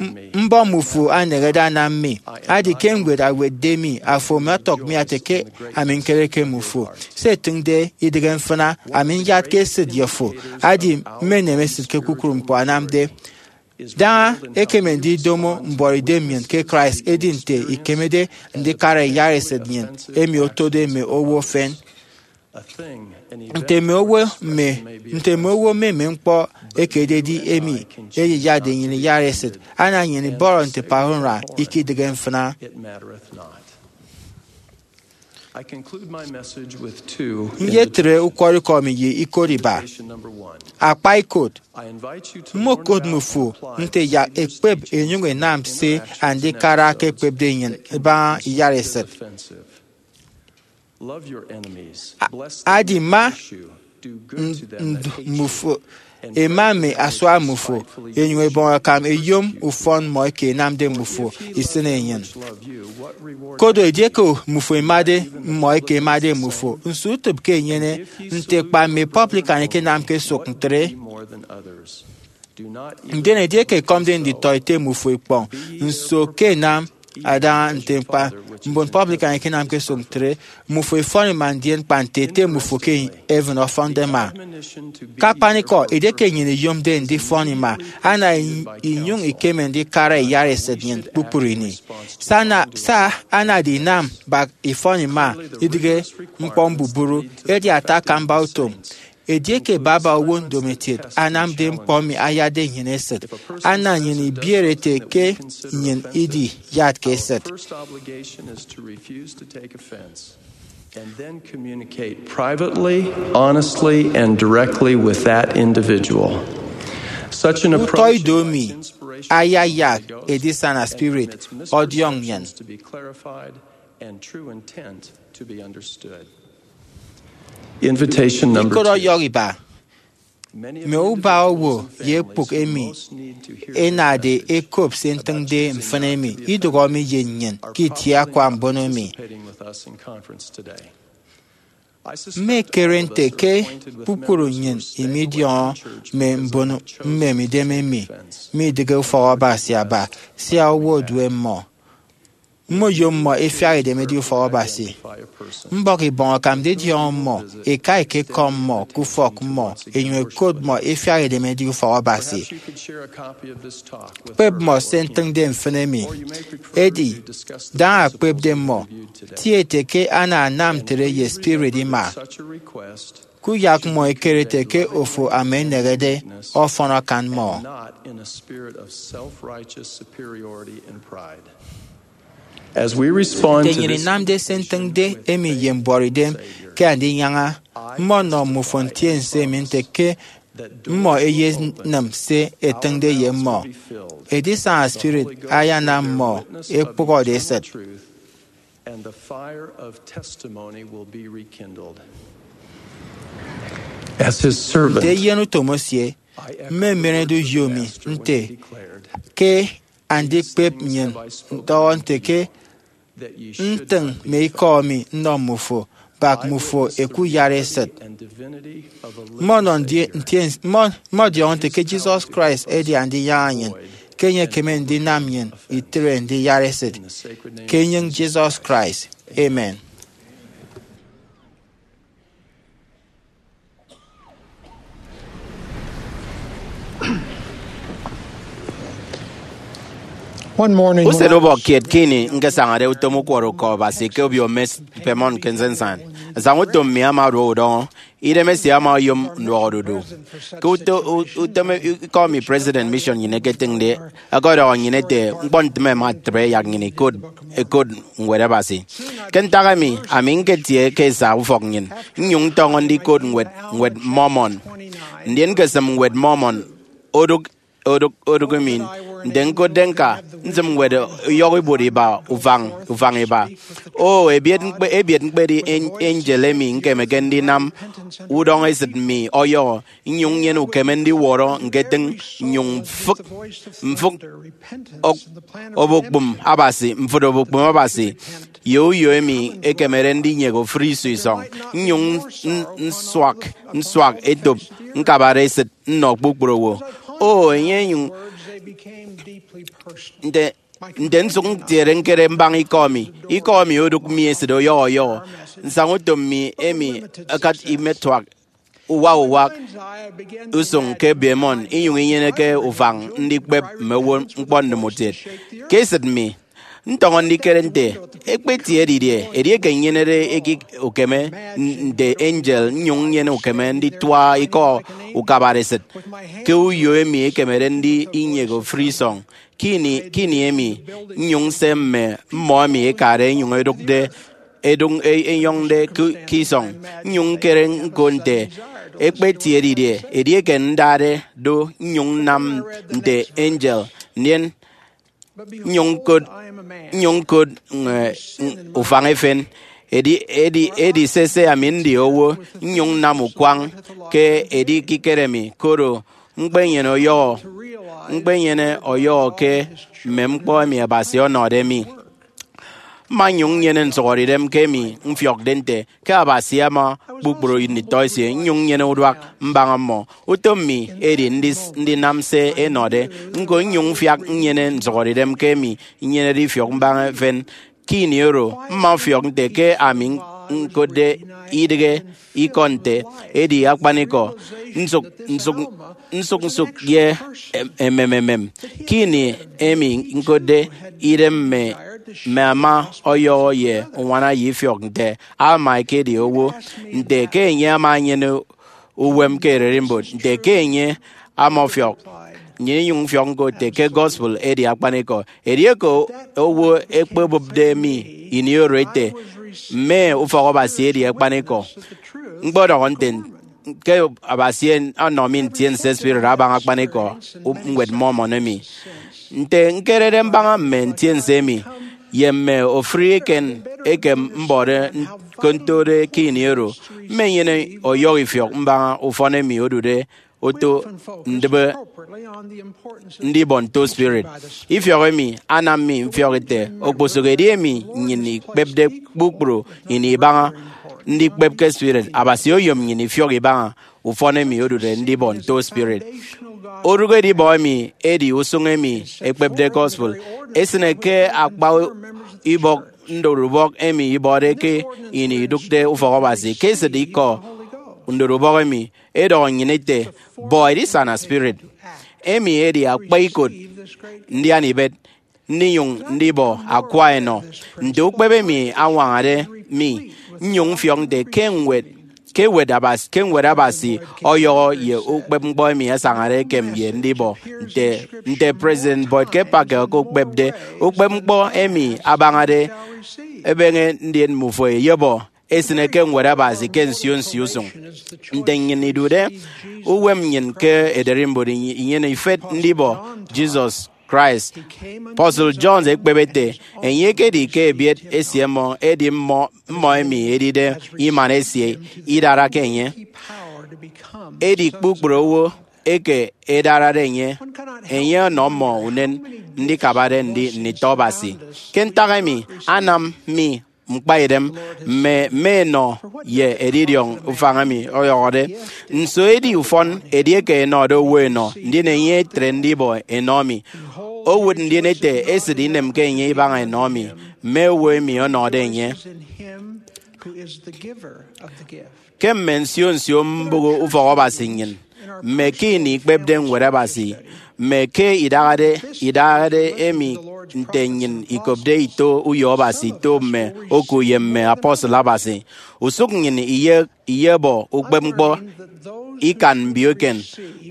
M-, mbọm mbufo anehede anam mi, adi ke ñwed awetde mi, afo mme ọtọk mi ate ke ami ñkereke mbufo. Se etịñde idịghe mfịna, ami nyatke esịt ye fo, adi mmenem esịt ke kpukpru ñkpọ anamde. Daña ekeme ndidomo mbuọtidem nnyịn ke Christ, edi nte ikemede ndikara iyat esịt nnyịn emi otode mme owo efen. Nte mme owo mme, nte mme owo mme mme ñkpọ ekededi emi eyeyatde nnyịn iyat esịt, ana nnyịn ibọrọ nte Pahora ikidịghe mfịna. Nyetre ukwọrọikọ mi ye ikot iba. Akpa ikot, mmokot mbufo nte yak ẹkpep ẹnyụñ ẹnam se andikara ke ẹkpepde nnyịn ibaña iyat esịt. A-, adi ma nd-, nd-, mbufo, ẹma mme asua mbufo, ẹnyụñ ẹbọñ akam ẹyom ufọn mmọ eke ẹnamde mbufo isịn enyịn. Koro edieke mbufo ẹmade mmọ eke ẹmade mbufo, nso utịp ke enyene nte kpa mme publican ẹkenamke sụk ntre? Ndien edieke ẹkọmde nditọete mbufo ikpọñ, nso ke ẹnam? Adaña nte kpa mbon publican ẹkenamke sụk ntre, mbufo ifọn ima ndien kpa nte Ete mbufo ke heaven ọfọnde ima. Ke akpanikọ, edieke nnyịn iyomde ndifọn ima, ana in-, inyụñ ikeme ndikara iyat esịt nnyịn kpukpru ini. Se ana-, se anade inam bak ifọn ima idịghe ñkpọ mbubru, edi ata akamba utom. Edieke baba owo ndomokiet anamde ñkpọ emi ayatde nnyịn esịt, ana nnyịn ibiere ete ke nnyịn idiyatke esịt. And then communicate privately, honestly, and directly with that individual. Such an approach Utọ ido emi ayayak edisana spirit ọdiọñ nnyịn. To be clarified and true intent to be understood. Invitation number Ikot two. Ọyọhọ iba. Mme ubak owo ye ekpụk emi ẹnade ẹkop se ntịñde mfịn emi idụhọ mi ye nnyịn ke itie akwa mbono emi. Mmekere nte ke kpukpru nnyịn imidiọñọ mme mbon mmemidem emi midịghe ufọk Abasi aba, sia owo odue mmọ. Mmoyom mmọ ẹfiak ẹdem ẹdi ufọk Abasi. Mbọk ibọñ akam ndidiọñọ mmọ, ẹka ẹkekọm mmọ ke ufọk mmọ, ẹnyụñ ẹkot mmọ ẹfiak ẹdem ẹdi ufọk Abasi. Kpep mmọ se ntịñde mfịn emi. Edi, daña akpepde mmọ, tie ete ke ana anam ntre ye spirit ima. Kuyak mmọ ẹkere ete ke ofo ama eneñede ọfọn akan mmọ. Nte nnyịn inamde se ntịñde emi ye mbuọtidem ke Andinyaña, mmọnọ mmufo ntiense emi nte ke mmọ ẹyenịm se ẹtịñde ye mmọ. Edisaña spirit ayanam mmọ ẹkpụhọde esịt. Nte eyen utom esie, mmemerede uyo mi nte ke andikpep nnyịn ndọhọ nte ke ntịñ mme ikọ mi nnọ mmufo, bak mmufo ẹkuyat esịt. Mmọnọ ndi- ntien- mmọ- mmọdiọñọ nte ke Jesus Christ edi Andinyaña nnyịn, ke enye ekeme ndinam nnyịn itre ndiyat esịt. Ke enyịñ Jesus Christ, amen. Usen ubọk kiet ke ini ñkesañade utom ukwọrọ uko Abasi ke obio Mest Piedmont ke nsinsan, nsaña utom mi ama oduọ udọñọ. Idemesie ama oyom nduọk odudu. Ke uto- u- utom ikọ emi president mission nnyịn eketịñde ọkọdọhọ nnyịn ete, ñkpọ ntịme ẹma ẹtre yak nnyịn ikot ẹkot Ñwed Abasi. Ke ntak emi, ami ñketie ke esa ufọk nnyịn, nnyụñ ntọñọ ndikot ñwed, Ñwed Mormon. Ndien ñkesịm Ñwed Mormon odụk, odụk, odụk mi. Nte ñkotde ñka, nsịm ñwed uyọhọ ibuot iba, ufañ, ufañ iba. O, ebiet ñkpe, ebiet ñkpedi en- angel emi ñkemeke ndinam udọñesịt mi ọyọhọ, nnyụñ nnyene ukeme ndiwọrọ ñketịñ, nnyụñ mfịk, mfịk ok- obokpụm Abasi, mfịt obokpụm Abasi, ye uyo emi ekemede ndinyek ofụri iso isọñ, nnyụñ n- nsuak, nsuak etop, ñkabare esịt nnọ kpukpru owo. O, enye enyụñ, nte, nte nsụk ntiede ñkere mbaña ikọ mi, ikọ mi odụk mi esịt ọyọhọ ọyọhọ. Nsaña utom mi emi akat imetuak uwak uwak usụñ ke Piedmont, inyụñ inyeneke ufañ ndikpep mme owo ñkpọ ndịm utiet. Ke esịt mi, ntọñọ ndikere nte, ekpetie didie edieke nnyenede ekik ukeme n- nte angel, nnyụñ nnyene ukeme nditua ikọ ukabare esịt ke uyo emi ekemede ndinyek ofụri isọñ? Ke ini, ke ini emi, nnyụñ nse mme mmọ emi ekade enyụñ edụkde edụñ e- enyọñde ke ke isọñ, nnyụñ ñkere ñko nte, ekpetie didie edieke ndade do nnyụñ nnam nte angel, ndien nnyụñ ñkot, nnyụñ ñkot, eh, ufañ efen. Edi, edi, edi sese, ami ndi owo, nnyụñ nnam ukwañ ke edikikere mi, koro ñkpenyene ọyọhọ, ñkpenyene ọyọhọ ke mme ñkpọ emi Abasi ọnọde mi. Mma nnyụñ nnyene nsụhọdeidem ke emi mfiọkde nte ke Abasi ama kpukpru nditọ esie, nnyụñ nnyene uduak mbaña mmọ. Utom mi edi ndis- ndinam se ẹnọde ñko, nnyụñ mfiak nnyene nsụhọdeidem ke emi nnyenede ifiọk mbaña efen. Ke ini oro, mma mfiọk nte ke ami ñkotde idịghe ikọ nte, edi akpanikọ, nsụk nsụk, nsụk nsụk ye em- emem emem. Ke ini emi ñkotde idem mme, mme ama ọyọhọ ye uñwana ye ifiọk nte ama ekedi owo, nte ke enye ama enyene uwem ke ererimbot, nte ke enye ama ọfiọk. Nnyịn inyụñ mfiọk ñko ete ke gospel edi akpanikọ. Edieke owo ekpebụpde mi ini oro ete, mme ufọk Abasi edi akpanikọ, ñkpọdọhọ nte ke Abasi ọnọ mi ntiense spirit abaña akpanikọ u- Ñwed Mormon emi. Nte ñkerede mbaña mme ntiense emi, ye mme ofụri eken eke mbọde ke ntode ke ini oro, mmenyene ọyọhọ ifiọk mbaña ufọn emi odude oto ndịbe ndibọ nto spirit. Ifiọk emi anam mi mfiọk ete okposụkedi emi nnyịn ikpepde kpukpru ini ibaña ndikpep ke spirit, Abasi oyom nnyịn ifiọk ibaña ufọn emi odude ndibọ nto spirit. Orụk edibọ emi edi usụñ emi ekpepde gospel. Esịne ke akpa ibọk ndorubọk emi ibọde ke ini idụkde ufọk Abasi. Ke esịt ikọ ndorubọk emi, edọhọ nnyịn ete, bọ edisana spirit. Emi edi akpa ikot ndian ibet ndinyụñ ndibọ akwa enọ. Nte ukpep emi añwañade mi nnyụñ mfiọk nte ke ñwed ke ñwed Abasi ke ñwed Abasi ọyọhọ ye ukpepñkpọ emi asañade ekem ye ndibọ nte nte President Boyd K. Packer okokpepde. Ukpepñkpọ emi abañade ebeñe ndien mbufo eyebọ esịne ke ñwed Abasi ke nsio nsio usụñ. Nte nnyịn idude uwem nnyịn ke ererimbot inyene ifet ndibọ Jesus Christ, Apostle John ekpep ete, enye ekedi ke ebiet esie mmọ, edi mmọ mmọ emi edide iman esie idarake enye. Edi kpukpru owo eke edarade enye, enye ọnọ mmọ unen ndikabade ndi nditọ Abasi. Ke ntak emi anam mi mkpaidem mme mme enọ ye edidiọñ ufañ emi ọyọhọde. Nso edi ufọn edieke enọde owo enọ, ndien enye etre ndibọ enọ mi? Owụt ndien ete esịt inemke enye ibaña enọ mi, mme owo emi ọnọde enye. Ke mme nsio nsio mbụk ufọk Abasi nnyịn, mme ke ini ikpepde ñwed Abasi, mme ke idahade idahade emi nte nnyịn ikopde ito uyo Abasi, ito mme oku ye mme apostle Abasi, usụk nnyịn iye iyebọ ukpepñkpọ ikan mbioken.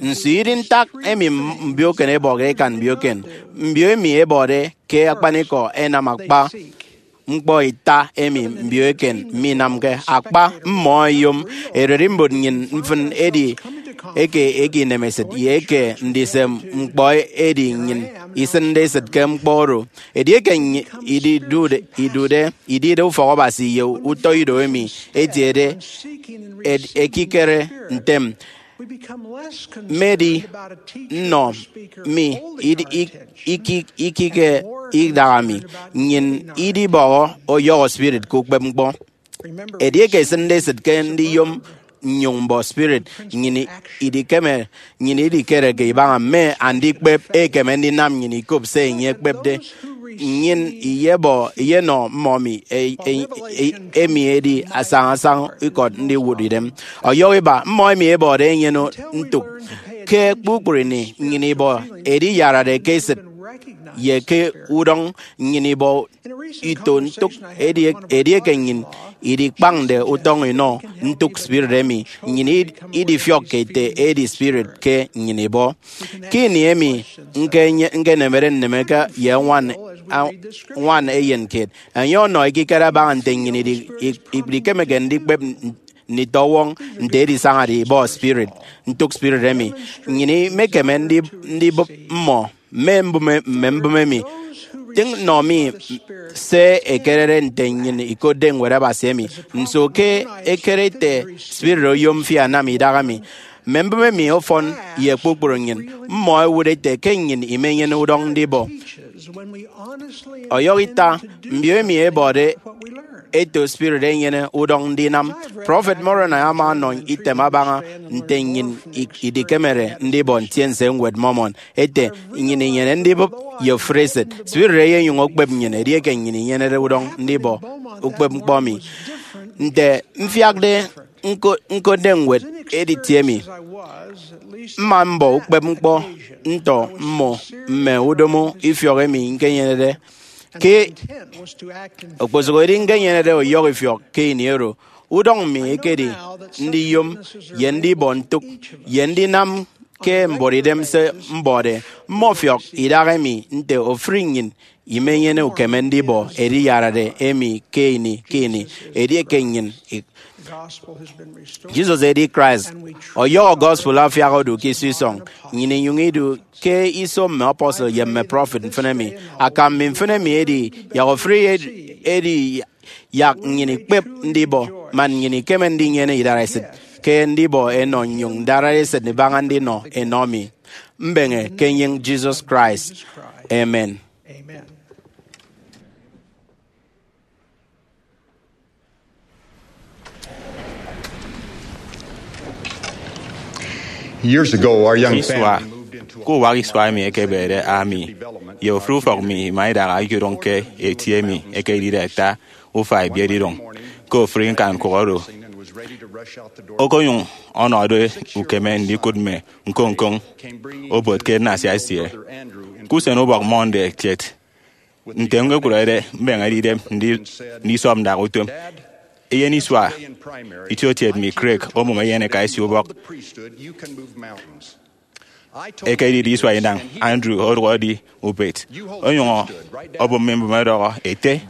Nso idi ntak emi mbioken ebọkde ikan mbioken? Mbio emi ebọde ke akpanikọ ẹnam akpa ñkpọ ita emi mbio eken minamke. Akpa mmọ ẹyom ererimbot nnyịn mfịn edi eke eke inemesịt ye eke ndise ñkpọ edi nnyịn isịnde esịt ke ñkpọ oro. Edieke nnyịn ididude idude idide ufọk Abasi ye utọ ido emi etiede ed- ekikere ntem, mmedi nnọ mi idi- ik- ikike idaha mi, nnyịn idibọhọ ọyọhọ spirit ke ukpepñkpọ. Edieke esịnde esịt ke ndiyom nnyụñ mbọ spirit, nnyịn idikeme nnyịn idikereke ibaña mme andikpep ekeme ndinam nnyịn ikop se enye ekpepde. Nnyịn iyebọ iyenọ mmọ mi e- e- e- emi edi asañasañ ikọt ndiwụt idem. Ọyọhọ iba, mmọ emi ebọde enyene ntụk. Ke kpukpru ini nnyịn ibọ ediyarade ke esịt ye ke udọñ, nnyịn ibọ ito ntụk. Edi- edieke nnyịn idikpañde utọñ inọ ntụk spirit emi, nnyịn id- idifiọkke ete edi spirit ke nnyịn ibọ. Ke ini emi nke- nkenemede nneme ke ye ñwan a- ñwan eyen kiet, enye ọnọ ekikere abaña nte nnyịn idi- i- ikpikemeke ndikpep n- nditọwọñ nte edisañade ibọ spirit, ntụk spirit emi. Nnyịn imekeme ndi- ndibụp mmọ mme mbụme mme mbụme emi. Tịñ nọ mi se ekerede nte nnyịn ikotde ñwed Abasi emi. Nso ke ekere ete spirit oyom fi anam idaha mi? Mme mbụme emi ọfọn ye kpukpru nnyịn. Mmọ ẹwụt ete ke nnyịn imenyene udọñ ndibọ. Ọyọhọ ita, mbio emi ebọde eto spirit enyene udọñ ndinam. Prọfet Moroni ama ọnọ item abaña nte nnyịn i- idikemede ndibọ ntiense ñwed Mormon, ete, nnyịn inyene ndibụp ye ofụri esịt. Spirit eyenyụñ okpep nnyịn edieke nnyịn inyenede udọñ ndibọ ukpepñkpọ mi. Nte mfiakde ñko- ñkotde ñwed editie mi, mma mbọ ukpepñkpọ ntọ mmọ mme udomo ifiọk emi ñkenyenede. Ke okposụkedi ñkenyenede ọyọhọ ifiọk ke ini oro, udọñ mi ekedi ndiyom ye ndibọ ntụk ye ndinam ke mbuọtidem se mbọde. Mmọfiọk idaha emi nte ofụri nnyịn imenyene ukeme ndibọ ediyarade emi ke ini ke ini edieke nnyịn i- Jesus edi Christ. Ọyọhọ gospel afiak odu ke iso isọñ. Nnyịn inyụñ idu ke iso mme apostle ye mme prophet mfịn emi. Akam mi mfịn emi edi yak ofụri edi yak nnyịn ikpep ndibọ man nnyịn ikeme ndinyene idaresit. ke ndibọ enọ nnyụñ ndara esịt ibaña ndinọ enọ mi. Mbeñe ke enyịñ Jesus Christ. Amen. Years ago, our young Isua, family moved into a ke uwak isua emi ekebede, ami ye ofụri ufọk mi ima idaha ikodụñ ke eti emi ekedide ata ufa ebiet idụñ. Ke ofụri ñkanñkụk oro, okonyụñ ọnọde ukeme ndikụt mme ñkoñ-ñkoñ obot ke nnasia esie. Ke usen ubọk Monday kiet, nte ñkekụrede mbeñe edidem ndi-, ndisọp ndak utom, eyen isua itiokiet mi, Craig, omụm eyeneka esie ubọk. Ekedide isua inañ, Andrew odụk edi ubet, onyụñ obụp mi mbụme ọdọhọ ete,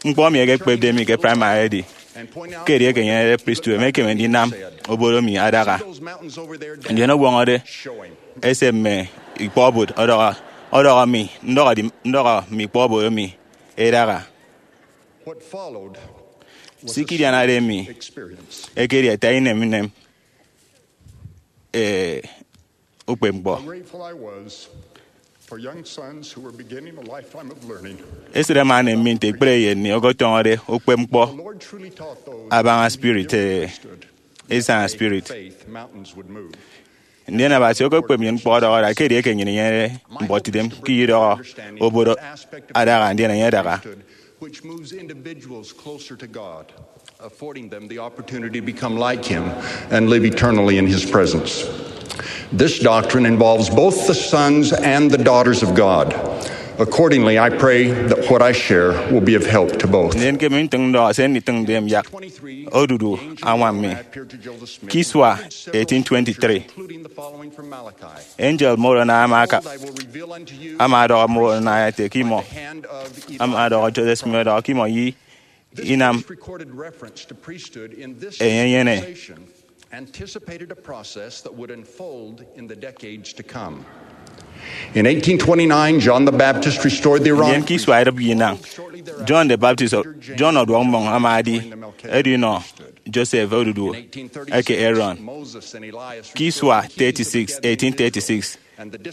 ñkpọ emi ekekpepde mi ke praịmarị edi ke edieke enyenede pristut, emekeme ndinam obodo mi adaha. Ndien ọwọñọde ese mme ikpọ obot ọdọhọ, ọdọhọ mi, ndọhọ di-, ndọhọ mme ikpọ obot emi edaha. Se ikidianade mi ekedi ata inem inem, eh, ukpepñkpọ. Esịt ama enem mi nte ekpere eyen mi ọkọtọñọde ukpepñkpọ abaña spirit, eh, edisana spirit. Ndien Abasi okokpep nnyịn ñkpọ ọdọhọ da ke edieke nnyịn inyenede mbuọtidem ke ididọhọ obodo adaha, ndien enye adaha. Which moves individuals closer to God, affording them the opportunity to become like Him and live eternally in His presence. This doctrine involves both the sons and the daughters of God. Accordingly, I pray that what I share will be of help to both. Ndien ke emi ntịñ ndọhọ se nditịñde mi yak odudu añwam mi. Ke isua eighteen twenty-three, angel Moroni ama aka-, ama ọdọhọ Moroni ete ke imọ, ama ọdọhọ Joseph Smith ọdọhọ ke imọ ye inam enye enyene. Anticipated a process that would unfold in the decades to come. In eighteen twenty-nine, John the Baptist restored the Aaronic. Ndien ke isua idịbi inañ, John the Baptist, John ọduọk mmọñ ama adi edinọ Joseph odudu eke Aaron. Ke isua thirty-six, eighteen thirty-six,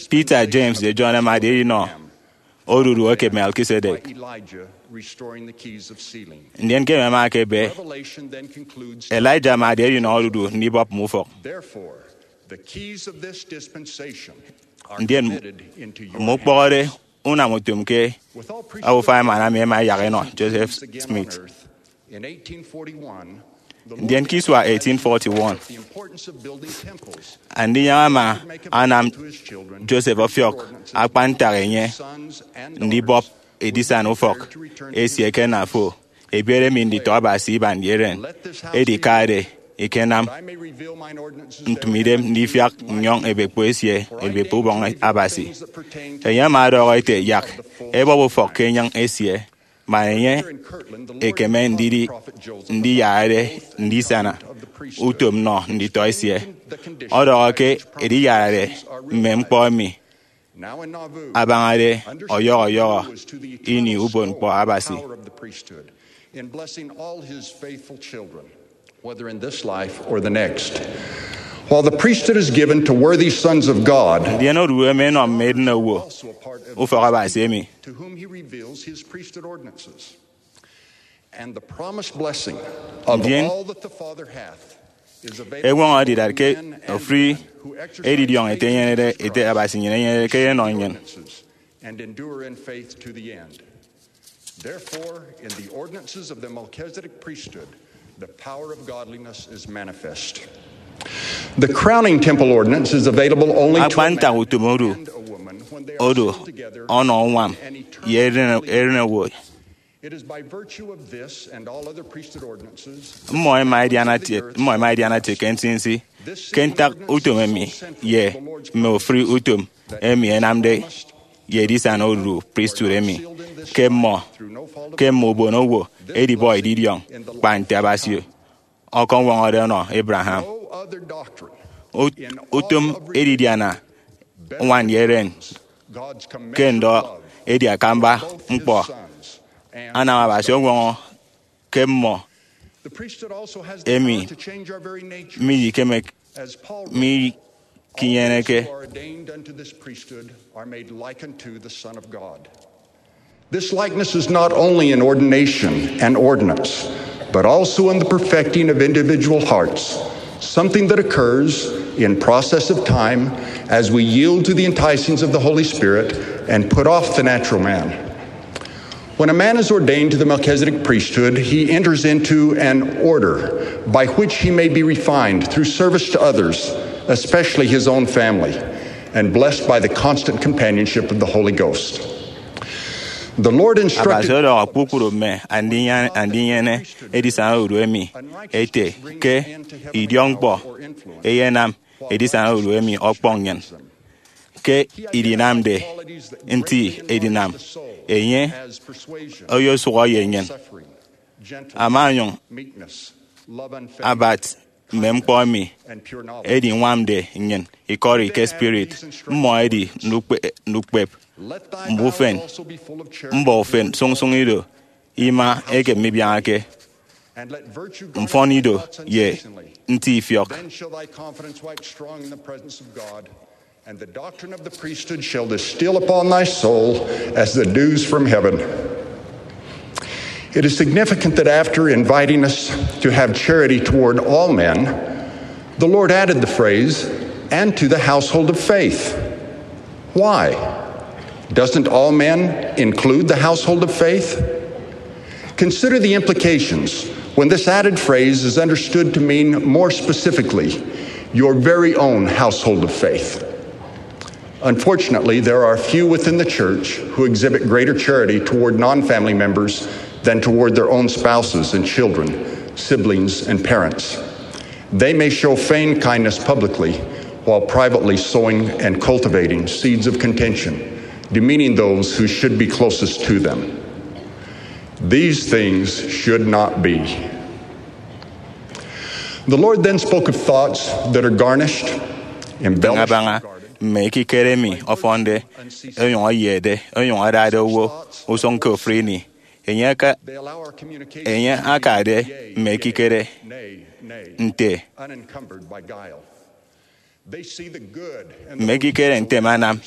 Peter, James, ye John ama adi edinọ odudu eke Melchizedek. Ndien ke emi ama aka ebe, Elijah ama adi edinọ odudu ndibọp mme ufọk. Ndien mme ukpọhọde unam utom ke obufa emana mi ẹma ẹyak ẹnọ Joseph Smith. Ndien ke isua eighteen forty-one, Andinyaña ama anam Joseph ọfiọk akpan ntak enye ndibọp edisana ufọk esie ke nna fo, ebiere mi nditọ Abasi iban ye eren. Edi ke ade ikenam ntụmidem ndifiak nnyọñ ebekpo esie, ebekpo ubọñ Abasi. Enye ama ọdọhọ ete, yak ebọp ufọk ke enyịñ esie, man enye ekeme ndidi ndiyarade ndisana utom nnọ nditọ esie. Ọdọhọ ke ediyarade mme ñkpọ emi abañade ọyọhọ ọyọhọ ini ubonñkpọ Abasi. In blessing all his faithful children, whether in this life or the next. While the priesthood is given to worthy sons of God, ndien odu emi enọ mme edịne owo ufọk Abasi emi, to whom he reveals his priesthood ordinances. And the promised blessing of Ndien all that the Father hath is available eñwọñọ to edidat ke men and ofri women who exercise edidiọñ ete faith in enyenede, Jesus ete Christ Abasi nnyịn enyenede ke enọ nnyịn. And endure in faith to the end. Therefore, in the ordinances of the Melchizedek priesthood, the power of godliness is manifest. The crowning temple ordinance is available only to a man and woman. Akpan ntak utom odu, odu ọnọ uñwam ye eren, eren owo. It is by virtue of this and all other priesthood ordinances, mmọ ẹma ẹdiana tiet, mmọ ẹma ẹdiana tiet ke nsinsi ke ntak utom emi ye mme ofụri utom emi ẹnamde ye edisana odudu priesthood emi, ke mmọ, ke mme ubon owo edibọ edidiọñ, kpa nte Abasi ọkọñwọñọde ọnọ Abraham. Ut-, utom edidiana ñwan ye eren ke ndọ edi akamba ñkpọ anam Abasi ọñwọñọ ke mmọ Emi midikeme, mikinyeneke. Ordained unto this priesthood are made like unto the Son of God. This likeness is not only in ordination and ordinance, but also in the perfecting of individual hearts, something that occurs in process of time as we yield to the enticings of the Holy Spirit and put off the natural man. When a man is ordained to the Melchizedek priesthood, he enters into an order by which he may be refined through service to others, especially his own family, and blessed by the constant companionship of the Holy Ghost. The Lord instructed. Abasi ọdọhọ kpukpru mme andinyene, andinyene edisana odu emi ete ke idiọkñkpọ eyenam edisana odu emi ọkpọñ nnyịn. Ke idinamde nti edinam, enye oyosụhọ ye nnyịn. Ama onyụñ abat mme ñkpọ emi ediñwamde nnyịn ikọri ke spirit. Mmọ ẹdi ndukpe-, ndukpep, mbufen, mbọ ufen sụñsụñ ido, ima eke mibiañake, mfọn ido ye nti ifiọk. Then shall thy confidence wax strong in the presence of God, and the doctrine of the priesthood shall distill upon thy soul as the dews from heaven. It is significant that after inviting us to have charity toward all men, the Lord added the phrase, "and to the household of faith." Why? Doesn't all men include the household of faith? Consider the implications when this added phrase is understood to mean more specifically your very own household of faith. Unfortunately, there are few within the church who exhibit greater charity toward non family members than toward their own spouses and children, siblings and parents. They may show feigned kindness publicly while privately sowing and cultivating seeds of contention, demeaning those who should be closest to them. These things should not be. The Lord then spoke of thoughts that are garnished, embellished, abaña mme ekikere emi ọfọnde, onyụñ eyede, onyụñ adade owo usụñ ke ofụri ini. Enye aka, enye akade mme ekikere nte, mme ekikere ntem anam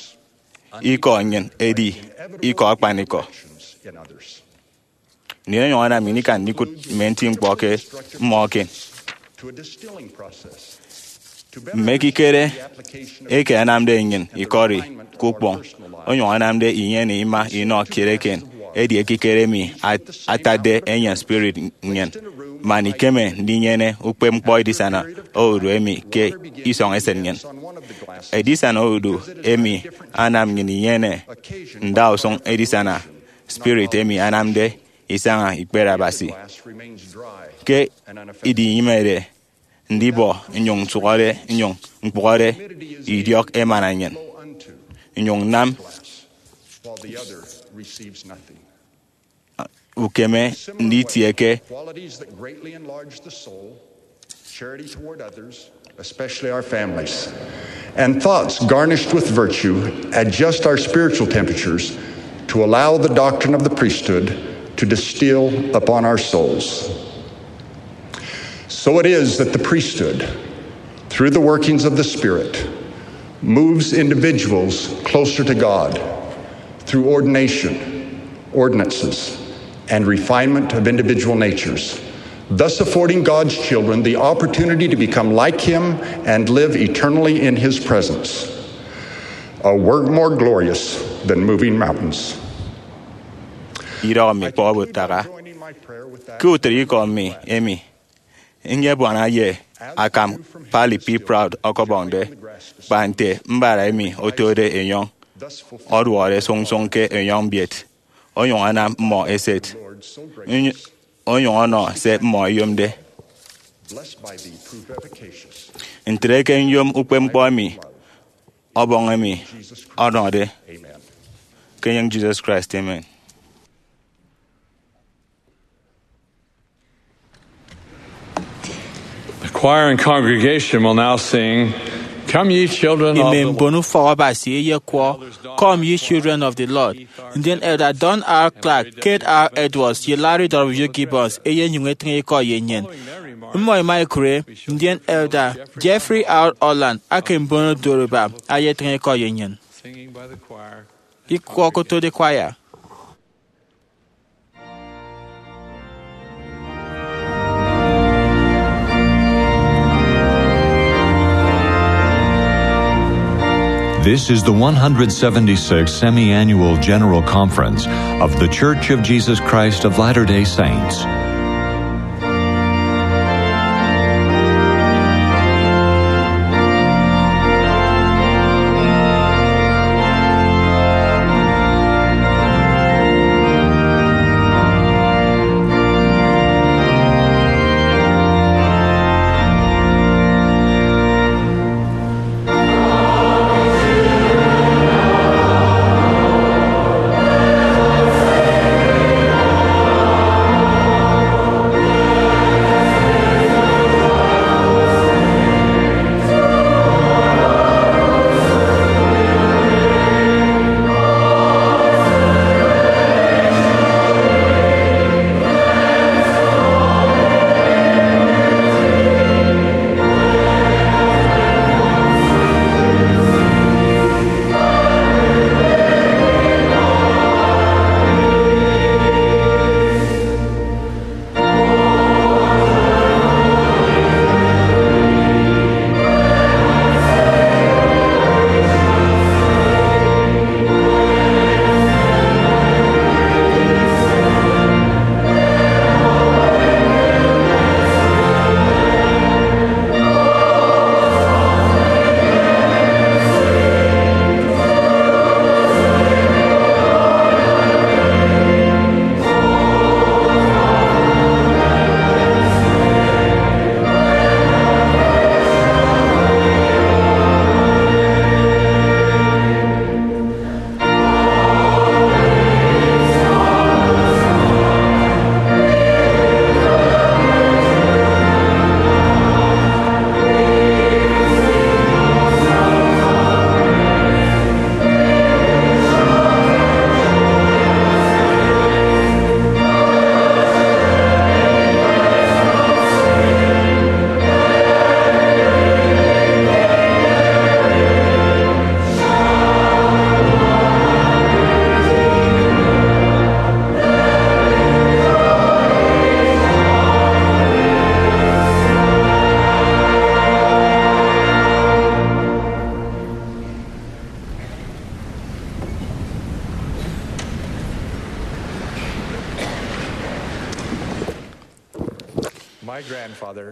ikọ nnyịn edi ikọ akpanikọ. Nnyịn onyụñ anam nnyịn ikan ndikụt mme nti ñkpọ ke mmọ eken. Mme ekikere eke anamde nnyịn ikọri ke ukpọñ, onyụñ anamde inyene ima inọ kiet eken, edi ekikere emi at-, atatde enyịn spirit nnyịn. Man ikeme ndinyene ukpepñkpọ edisana odu emi ke isọñ esịt nnyịn. Edisana odu emi anam nnyịn inyene ndausụñ edisana spirit emi anamde isaña ikpere Abasi. Ke idinyịmede ndibọ nnyụñ nsụhọde nnyụñ ñkpụhọde, idiọk emana nnyịn, nnyụñ nnam ukeme nditie ke. Qualities that greatly enlarge the soul, charity toward others, especially our families, and thoughts garnished with virtue adjust our spiritual temperatures to allow the doctrine of the priesthood to distill upon our souls. So it is that the priesthood, through the workings of the Spirit, moves individuals closer to God through ordination, ordinances, and refinement of individual natures, thus affording God's children the opportunity to become like Him and live eternally in His presence. A work more glorious than moving mountains. Idọhọ mi kpọt aka. Ke utịt ikọ mi emi, nyebuana ye akam Parley P. Pratt ọkọbọñde, kpa nte mbara emi otode enyọñ, ọduọde sụñsụñ ke enyọñ mbiet, onyụñ anam mmọ eset, ony-, onyụñ ọnọ se mmọ ẹyomde. Ntre ke nyom ukpepñkpọ emi Ọbọñ emi ọnọde. Ke enyịñ Jesus Christ, amen. The choir and congregation will now sing Come, ye children of Ime the mbon ufọk Abasi eyekwọ, "Come, ye children of the Lord." Ndien Elder Don R. Clark, Kate R. Edwards, ye Larry W. Gibbons eyenyụñ etịñ ikọ ye nnyịn. Mmọ ẹma ẹkụre, ndien Elder Jeffrey R. Holland aka mbon odu Yoruba ayetịñ ikọ ye nnyịn. Ikọ okotode choir. This is the one hundred seventy-sixth Semi-Annual General Conference of The Church of Jesus Christ of Latter-day Saints.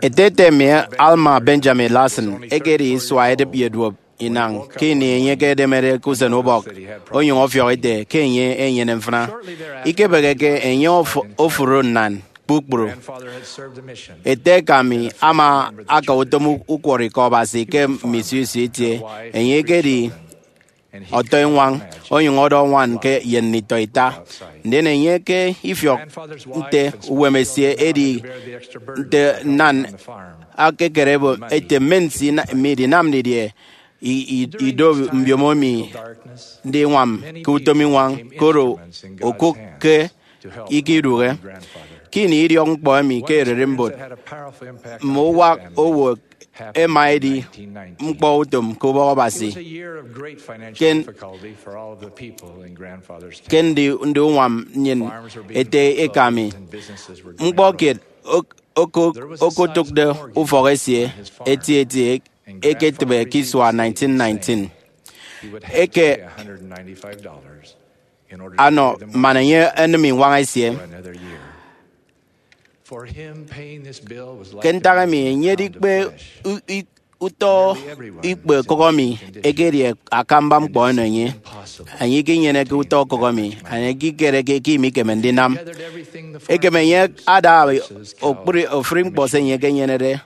Eteete mi, Alma Benjamin Larson, ekedi isua edịp ye duop inañ ke ini enye ekedemede ke usenubọk, onyụñ ọfiọk ete ke enye enyene mfịna. Ikebịghike, enye of-, ofụri nnan kpukpru. Ete eka mi ama aka utom u-, ukwọrọikọ Abasi ke mme isio isio itie. Enye ekedi ọtọiñwañ, onyụñ ọdọ ñwan ke ye nditọ ita. Ndien enye ke ifiọk nte uwem esie edi nte nnan akekere ebe ete, "Mme nsi ina-, midinam didie i-, i-, ido mbiomo mi ndiñwam ke utom iñwañ, koro okụk ke ikidụhe?" Ke ini idiọk ñkpọ emi ke ererimbot, mme uwak owo ẹma ẹdi ñkpọ utom ke ubọk Abasi. Ke, ke ndi, ndi uñwam nnyịn ete eka mi. Ñkpọ kiet ok-, oko-, okotụkde ufọk esie etieti eketịbe ke isua nineteen nineteen. Eke anọ man enye enịm iñwañ esie. Ke ntak emi, enye edikpe u-, i-, utọ ikpe okụk emi ekedi akamba ñkpọ eno enye. Enye ikinyeneke utọ okụk emi, enye ikikereke ke imikeme ndinam. Ekem enye ada okpri-, ofụri ñkpọ se enye ekenyenede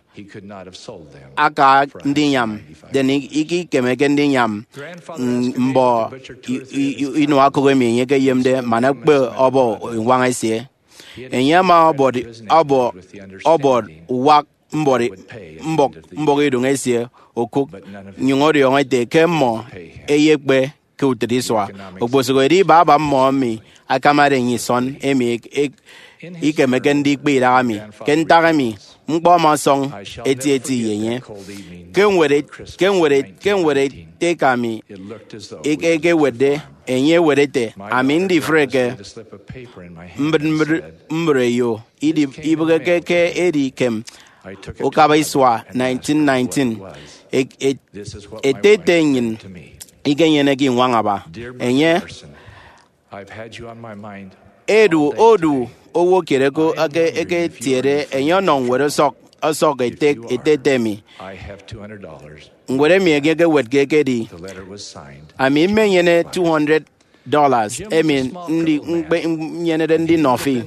aka ndiñwam, then i-, ikikemeke ndiñwam, mm, mbọ i-, i-, i-, inua okụk emi enye ekeyemde man ekpe ọbọ iñwañ esie. Enye ama ọbọd, ọbọ, ọbọd uwak mbọk mbọk iduñ esie okụk, nyụñ ọdiọñọ ete ke mmọ ẹyekpe ke utịt isua. Okposụkedi baba mmọ emi akamade enye isọn emi ek- ek- ikemeke ndikpe idaha mi. Ke ntak emi, ñkpọ ama ọsọñ etieti ye enye. Ke ñwed et- ke ñwed et- ke ñwed ete eka mi eke- ekewetde, enye ewet ete, ami ndifreke mbịt mbịt mbụreyo idi- ibịghike ke edi kem ukaba isua nineteen nineteen. E- e- ete ete nnyịn ikenyeneke iñwañ aba. Enye edu odu owo kiet eke- eke- eketiede enye ọnọ ñwed ọsọk ọsọk ete ete ete mi. Ñwed emi enye ekewetke ekedi, ami mmenyene two hundred dollars emi ndi ñkpe- nnyenede ndinọ fi.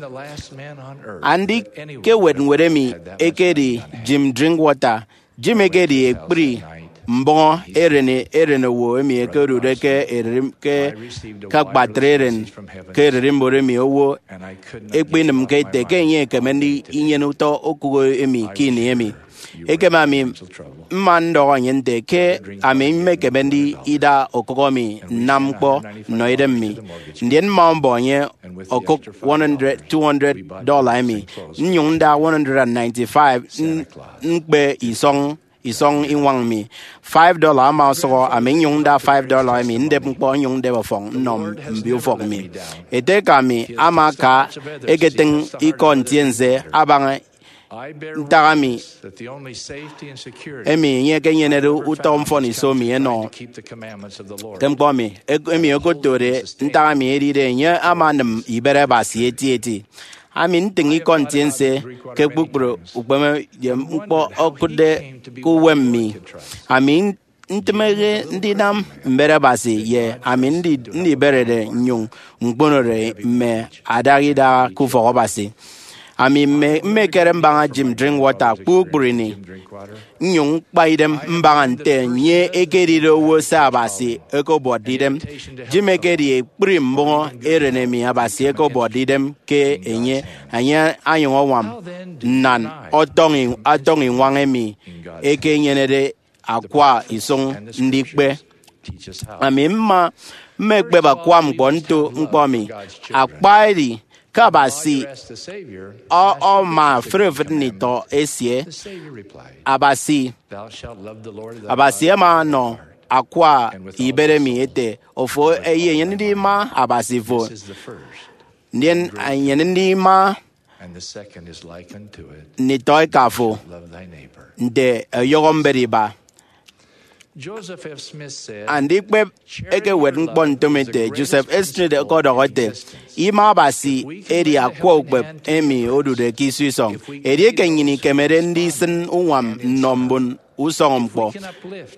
Andikewet ñwed emi ekedi Jim Drinkwater. Jim ekedi ekpri mbọñọ eren eren owo emi ẹkedude ke ererimbot ke ke akpatre eren ke ererimbot emi owo ekpenịmke ete ke enye ekeme ndinyene utọ okụk emi ke ini emi. Ekem ami mma ndọhọ enye nte ke ami mmekeme ndida okụk emi nnam ñkpọ nnọ idem mi. Ndien mma mbọ enye okụk one hundred, two hundred dollar emi, nnyụñ nda one hundred ninety-five n- ñkpe isọñ isọñ iñwañ mi. Five dollar ama ọsọhọ, ami nnyụñ nda five dollar emi ndep ñkpọ, nnyụñ ndep ọfọñ nnọ mbio ufọk mi. Ete eka mi ama aka eketịñ ikọ ntiense abaña ntak emi emi enye ekenyenede utọ mfọniso mi enọ. Ke ñkpọ mi emi okotode ntak emi edide enye ama anịm ibet Abasi etieti. Ami ntịñ ikọ ntiense ke kpukpru ukpeme ye ñkpọ okụtde ke uwem mi. Ami ntịmehe ndinam mbet Abasi ye ami ndi- ndiberede nnyụñ ñkponode mme adaha idaha ke ufọk Abasi. Ami mme- mmekere mbaña Jim Drinkwater kpukpru ini, nnyụñ ñkpa idem mbaña nte enye ekedide owo se Abasi okobotde idem. Jim ekedi ekpri mbọñọ eren emi Abasi okobotde idem ke enye, enye anyụñ añwam nnan ọtọñ i- ọtọñ iñwañ emi ekenyenede akwa isụñ ndikpe. Ami mma mmekpep akwa ñkpọ nto ñkpọ mi. Akpa edi ke Abasi ọ- ọma fre-fịt nditọ esie. Abasi, Abasi ama ọnọ akwa ibet emi ete, ofo eyenyene ndima Abasi fo, ndien enyene ndima nditọ eka fo nte ọyọhọ mbet iba. Andikpep ekewet ñkpọ ntom ete, Joseph Smith ọkọdọhọ ete, ima Abasi edi akwa ukpep emi odude ke iso isọñ. Edieke nnyịn ikemede ndisịn uñwam nnọ mbon usọñọ ñkpọ,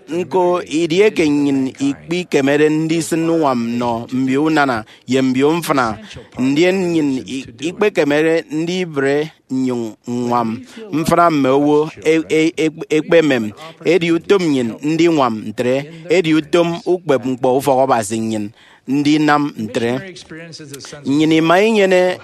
ñko edieke nnyịn ikpikemede ndisịn uñwam nnọ mbio unana ye mbio mfịna, ndien nnyịn i- ikpekemede ndibre nnyụñ ññwam mfịna mme owo e- e- e- ekpemem. Edi utom nnyịn ndiñwam ntre, edi utom ukpep ñkpọ ufọk Abasi nnyịn ndinam ntre. Nnyịn ima inyene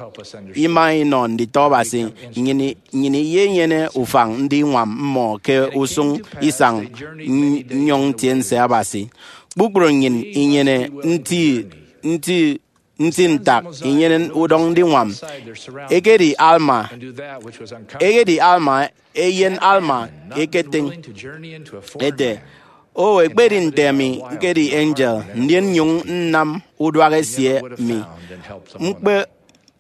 ima inọ nditọ Abasi, nnyịn i- nnyịn iyenyene ufañ ndiñwam mmọ ke usụñ isañ ny- nnyọñ ntiense Abasi. Kpukpru nnyịn inyene nti nti nti ntak inyene udọñ ndiñwam. Ekedi Alma, ekedi Alma, eyen Alma eketịñ ete, o, ekpedi nte ami ñkedi angel, ndien nnyụñ nnam uduak esie mi, ñkpe-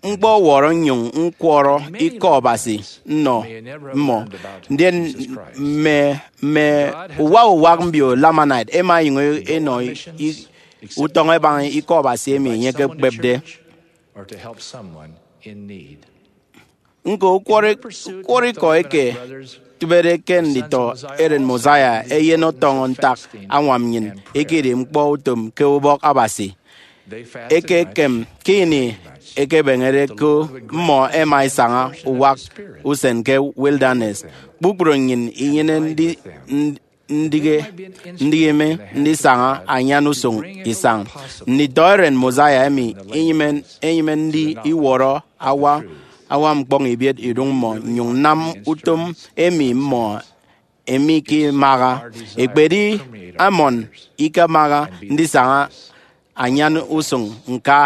ñkpọwọrọ nnyụñ ñkwọrọ ikọ Abasi nnọ mmọ, ndien mme mme uwak uwak mbio Lamanite ẹma ẹnyụñ ẹnọ i- utọñ ẹbaña ikọ Abasi emi enye ekekpepde. Ñko, ukwọrọ ukwọrọ ikọ eke tịbede ke nditọ eren Mosiah eyen ọtọñọ ntak añwam nnyịn ekedi ñkpọ utom ke ubọk Abasi. Ekekem ke ini ẹkebeñede ko, mmọ ẹma ẹsaña uwak usen ke wilderness. Kpukpru nnyịn inyene ndi- ndihe ndihe mi ndisaña anyan usụñ isañ. Nditọ eren Mosiah emi inyịme inyịme ndi iwọrọ awa añwam ñkpọñ ibiet iduñ mmọ, nnyuñ nnam utom emi mmọ emi ke imaha. Ekpedi Amon ikemaha ndisaña anyan usuñ ñka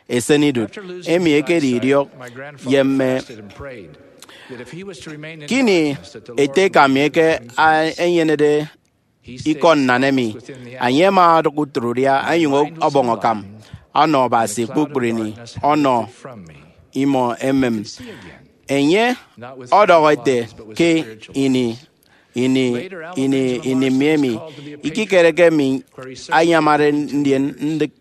esenidụt, emi ekedi idiọk ye mme. Kini ete eka mi eke a-, enyenede ikọ nnan emi, enye ama odụk utrụudia onyụñ ọbọñ akam ọnọ Abasi kpukpru ini, ọnọ imọ emem. Enye ọdọhọ ete, ke ini ini ini ini mi emi, ikikere ke mi anyamade ndien ndịk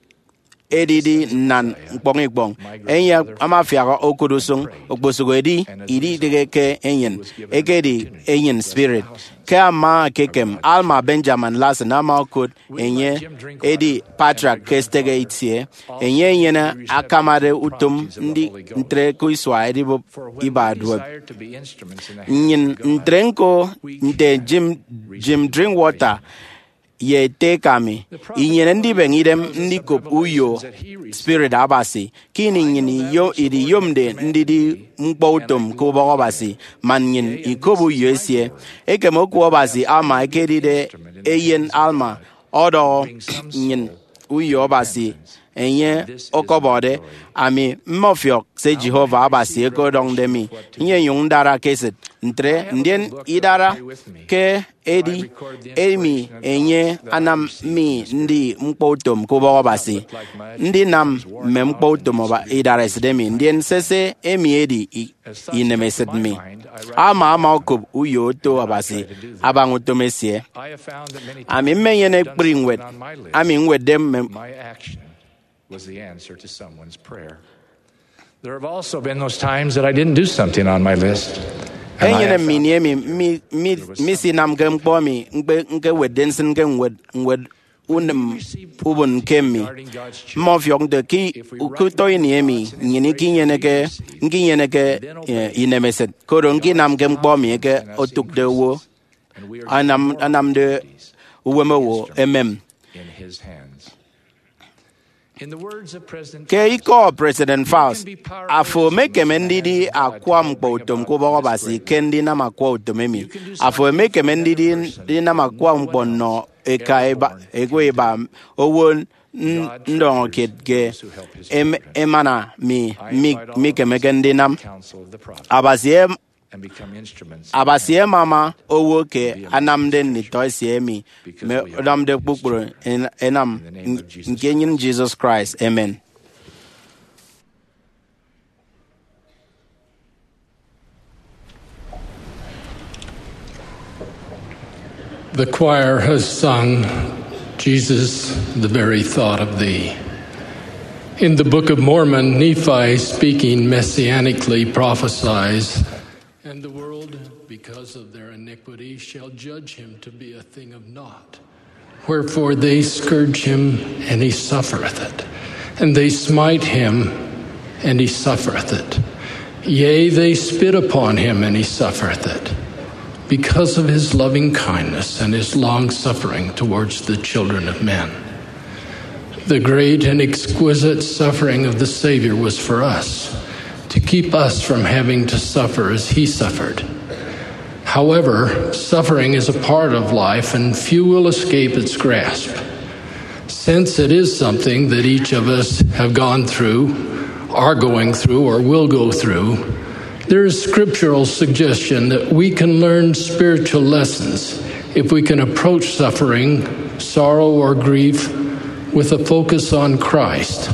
edidi nnan ñkpọñ ikpọñ. Enye amafiak okụt usụñ, okposụk edi, ididịghe ke enyịn, ekedi enyịn spirit. Ke ama ekekem, Alma Benjamin Larsen ama okot enye edi patriarch ke stegeit sie. Enye enyene akamade utom ndi ntre ke isua edibụp iba duop. Nnyịn ntre ñko nte Jim, Jim Drinkwater, ye ete eka mi, inyene ndibeñe idem ndikop uyo Spirit Abasi, ke ini nnyịn iyo-, idiyomde ndidi ñkpọ utom ke ubọk Abasi, man nnyịn ikop uyo esie. Ekem oku Abasi ama ekedide eyen Alma ọdọhọ nnyịn uyo Abasi enye ọkọbọde. Ami mmọfiọk se Jehovah Abasi eke ọdọñde mi, nyenyụñ ndara ke esịt ntre, ndien idara ke edi emi enye anam mi ndi ñkpọ utom ke ubọk Abasi, ndinam mme ñkpọ utom ọba-, idaresit emi, ndien sese emi edi i-, inemesịt mi. Ama ama okop uyo oto Abasi abaña utom esie. Ami mmenyene ekpri ñwed ami ñwetde mme was the answer to someone's prayer. There have also been those times that I didn't do something on my list. And I have enyene found mme ini emi mi- mi- misinamke ñkpọ emi ñkpe- ñkewetde nsịn ke ñwed ñwed unem ubon ke mi. Mmefiọk nte ke utọ ini emi nnyịn ikinyeneke, ñkinyeneke, eh, inemesịt, koro ñkinamke ñkpọ emi eke otụkde owo, anam- anamde uwem owo emem. Ke ikọ President Faust, afo emekeme ndidi akwa ñkpọ utom ke ubọk Abasi ke ndinam akwa utom emi. Afo emekeme ndidi ndinam akwa ñkpọ nnọ eka iba, ekwe iba, owo n- ndọñọ kiet ke em- emana mi mi- mikemeke ndinam. Abasi em- Abasi emama owo ke anamde nditọ esie emi mme ọdọmde kpukpru en- enam. Nke enyịn Jesus Christ, amen. The choir has sung, "Jesus, the very thought of thee." In the Book of Mormon, Nephi, speaking messianically, prophesies, "And the world, because of their iniquity, shall judge him to be a thing of naught. Wherefore they scourge him, and he suffereth it. And they smite him, and he suffereth it. Yea, they spit upon him, and he suffereth it, because of his loving kindness and his long suffering towards the children of men." The great and exquisite suffering of the Savior was for us, to keep us from having to suffer as he suffered. However, suffering is a part of life, and few will escape its grasp. Since it is something that each of us have gone through, are going through, or will go through, there is scriptural suggestion that we can learn spiritual lessons if we can approach suffering, sorrow, or grief with a focus on Christ.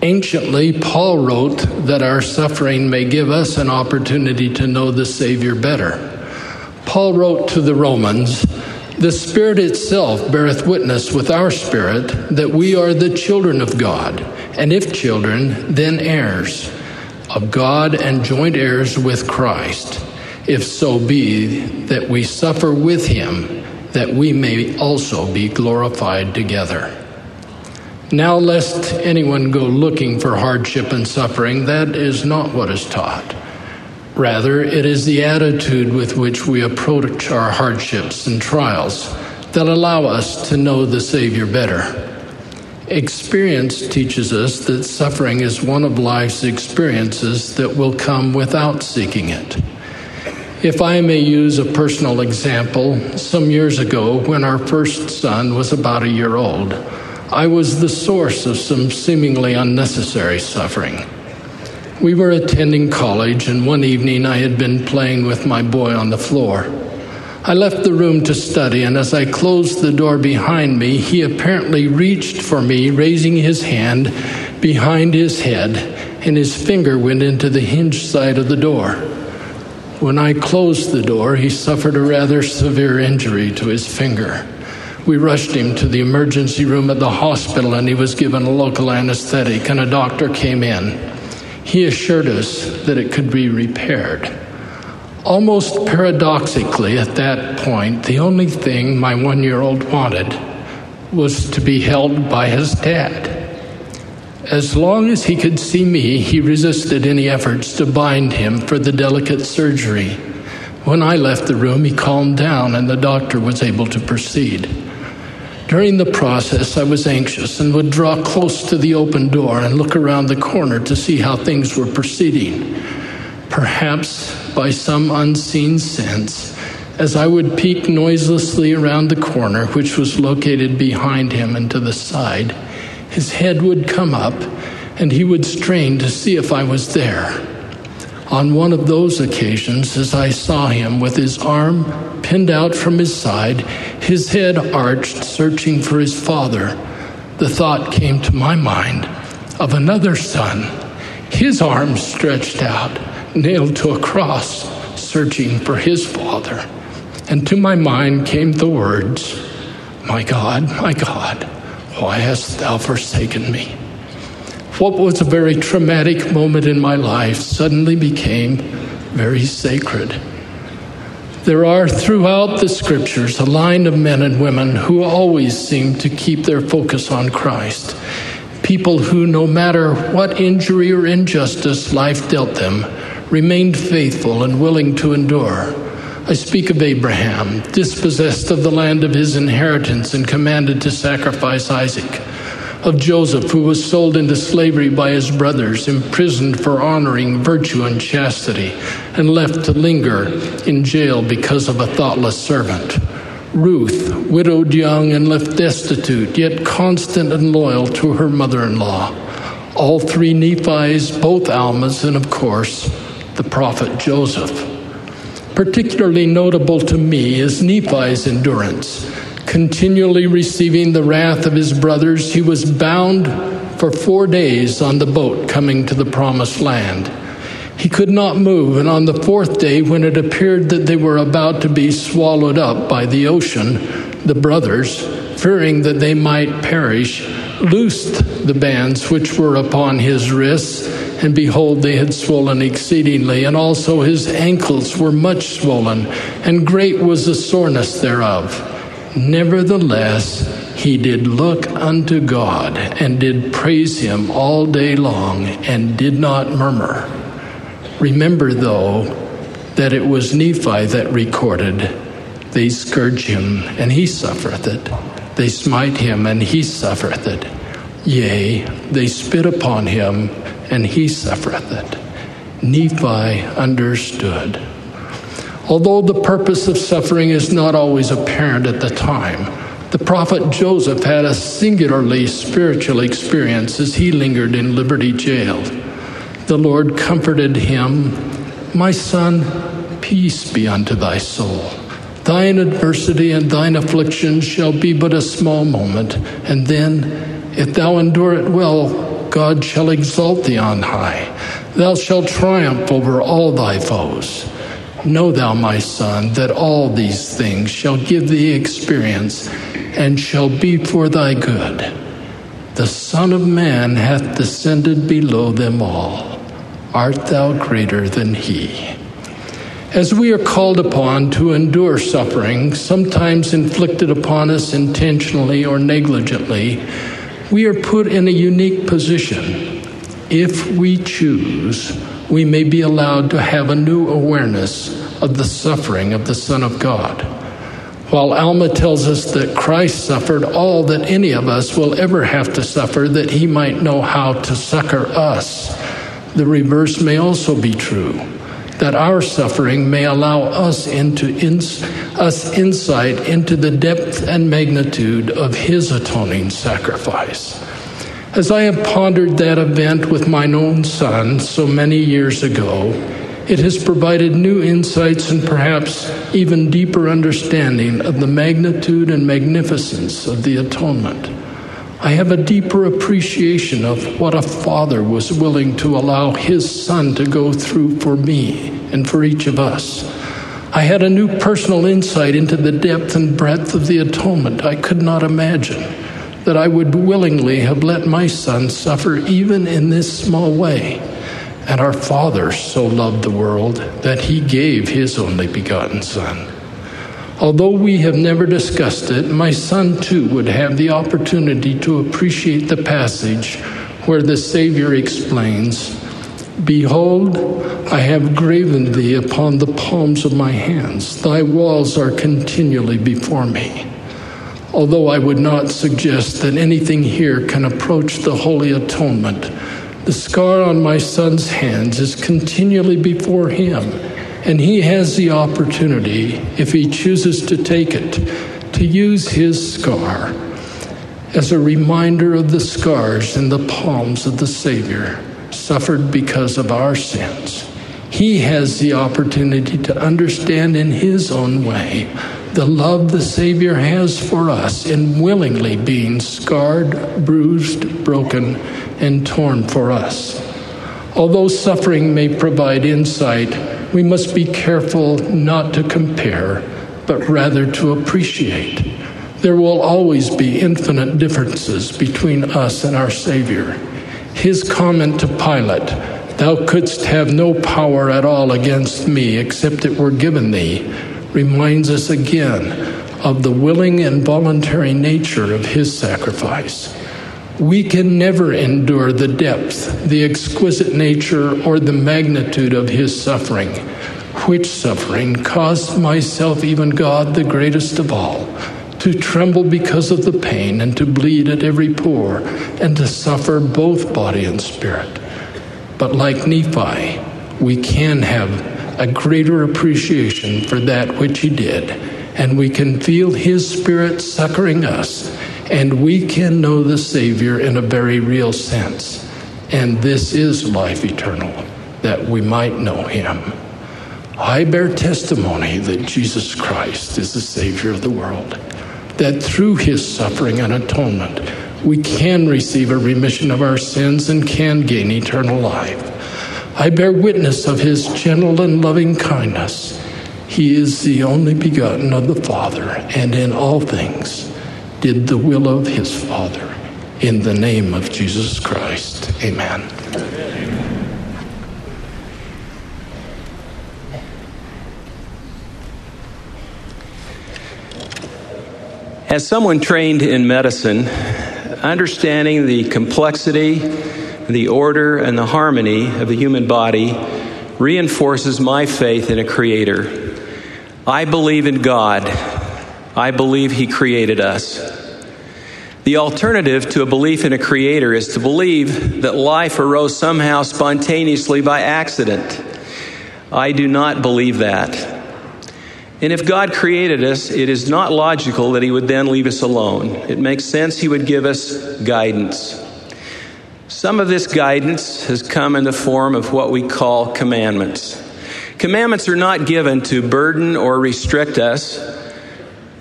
Anciently, Paul wrote that our suffering may give us an opportunity to know the Savior better. Paul wrote to the Romans, "The Spirit itself beareth witness with our spirit that we are the children of God, and if children, then heirs of God and joint heirs with Christ, if so be that we suffer with him, that we may also be glorified together." Now, lest anyone go looking for hardship and suffering, that is not what is taught. Rather, it is the attitude with which we approach our hardships and trials that allow us to know the Savior better. Experience teaches us that suffering is one of life's experiences that will come without seeking it. If I may use a personal example, some years ago, when our first son was about a year old, I was the source of some seemingly unnecessary suffering. We were attending college, and one evening I had been playing with my boy on the floor. I left the room to study, and as I closed the door behind me, he apparently reached for me, raising his hand behind his head, and his finger went into the hinged side of the door. When I closed the door, he suffered a rather severe injury to his finger. We rushed him to the emergency room at the hospital, and he was given a local anesthetic, and a doctor came in. He assured us that it could be repaired. Almost paradoxically, at that point, the only thing my one-year-old wanted was to be held by his dad. As long as he could see me, he resisted any efforts to bind him for the delicate surgery. When I left the room, he calmed down and the doctor was able to proceed. During the process, I was anxious and would draw close to the open door and look around the corner to see how things were proceeding. Perhaps by some unseen sense, as I would peek noiselessly around the corner, which was located behind him and to the side, his head would come up and he would strain to see if I was there. On one of those occasions, as I saw him with his arm pinned out from his side, his head arched, searching for his father, the thought came to my mind of another son, his arms stretched out, nailed to a cross, searching for his father. And to my mind came the words, "My God, my God, why hast thou forsaken me?" What was a very traumatic moment in my life suddenly became very sacred. There are throughout the scriptures a line of men and women who always seem to keep their focus on Christ. People who, no matter what injury or injustice life dealt them, remained faithful and willing to endure. I speak of Abraham, dispossessed of the land of his inheritance and commanded to sacrifice Isaac, of Joseph, who was sold into slavery by his brothers, imprisoned for honoring virtue and chastity, and left to linger in jail because of a thoughtless servant. Ruth, widowed young and left destitute, yet constant and loyal to her mother-in-law. All three Nephis, both Almas, and of course, the prophet Joseph. Particularly notable to me is Nephi's endurance. Continually receiving the wrath of his brothers, he was bound for four days on the boat coming to the promised land. He could not move, and on the fourth day, when it appeared that they were about to be swallowed up by the ocean, the brothers, fearing that they might perish, loosed the bands which were upon his wrists, and behold, they had swollen exceedingly, and also his ankles were much swollen, and great was the soreness thereof. Nevertheless, he did look unto God, and did praise him all day long, and did not murmur. Remember, though, that it was Nephi that recorded, "They scourge him, and he suffereth it. They smite him, and he suffereth it. Yea, they spit upon him, and he suffereth it." Nephi understood. Although the purpose of suffering is not always apparent at the time, the prophet Joseph had a singularly spiritual experience as he lingered in Liberty Jail. The Lord comforted him, "My son, peace be unto thy soul. Thine adversity and thine affliction shall be but a small moment, and then, if thou endure it well, God shall exalt thee on high. Thou shalt triumph over all thy foes. Know thou, my son, that all these things shall give thee experience and shall be for thy good. The Son of Man hath descended below them all. Art thou greater than he?" As we are called upon to endure suffering, sometimes inflicted upon us intentionally or negligently, we are put in a unique position. If we choose, we may be allowed to have a new awareness of the suffering of the Son of God. While Alma tells us that Christ suffered all that any of us will ever have to suffer that he might know how to succor us, the reverse may also be true, that our suffering may allow us into ins- us insight into the depth and magnitude of his atoning sacrifice. As I have pondered that event with mine own son so many years ago, it has provided new insights and perhaps even deeper understanding of the magnitude and magnificence of the atonement. I have a deeper appreciation of what a father was willing to allow his son to go through for me and for each of us. I had a new personal insight into the depth and breadth of the atonement I could not imagine that I would willingly have let my son suffer even in this small way. And our Father so loved the world that he gave his only begotten Son. Although we have never discussed it, my son too would have the opportunity to appreciate the passage where the Savior explains, "Behold, I have graven thee upon the palms of my hands. Thy walls are continually before me." Although I would not suggest that anything here can approach the Holy Atonement, the scar on my son's hands is continually before him, and he has the opportunity, if he chooses to take it, to use his scar as a reminder of the scars in the palms of the Savior suffered because of our sins. He has the opportunity to understand in his own way the love the Savior has for us in willingly being scarred, bruised, broken, and torn for us. Although suffering may provide insight, we must be careful not to compare, but rather to appreciate. There will always be infinite differences between us and our Savior. His comment to Pilate, "Thou couldst have no power at all against me except it were given thee," reminds us again of the willing and voluntary nature of his sacrifice. We can never endure the depth, the exquisite nature, or the magnitude of his suffering, which suffering caused myself, even God, the greatest of all, to tremble because of the pain and to bleed at every pore and to suffer both body and spirit. But like Nephi, we can have a greater appreciation for that which he did, and we can feel his spirit succoring us, and we can know the Savior in a very real sense. And this is life eternal, that we might know him. I bear testimony that Jesus Christ is the Savior of the world, that through his suffering and atonement, we can receive a remission of our sins and can gain eternal life. I bear witness of his gentle and loving kindness. He is the only begotten of the Father, and in all things did the will of his Father. In the name of Jesus Christ, amen. As someone trained in medicine, understanding the complexity, the order, and the harmony of the human body reinforces my faith in a creator. I believe in God. I believe he created us. The alternative to a belief in a creator is to believe that life arose somehow spontaneously by accident. I do not believe that. And if God created us, it is not logical that he would then leave us alone. It makes sense he would give us guidance. Some of this guidance has come in the form of what we call commandments. Commandments are not given to burden or restrict us.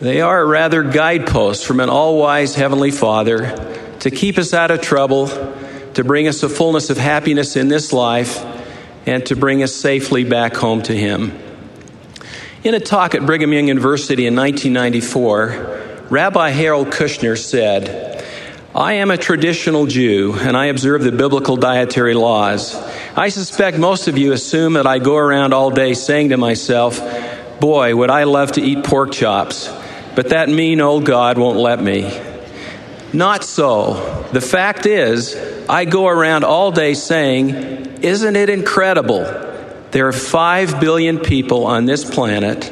They are rather guideposts from an all-wise Heavenly Father to keep us out of trouble, to bring us a fullness of happiness in this life, and to bring us safely back home to him. In a talk at Brigham Young University in nineteen ninety-four, Rabbi Harold Kushner said, "I am a traditional Jew, and I observe the biblical dietary laws. I suspect most of you assume that I go around all day saying to myself, 'Boy, would I love to eat pork chops, but that mean old God won't let me.' Not so. The fact is, I go around all day saying, 'Isn't it incredible? There are five billion people on this planet,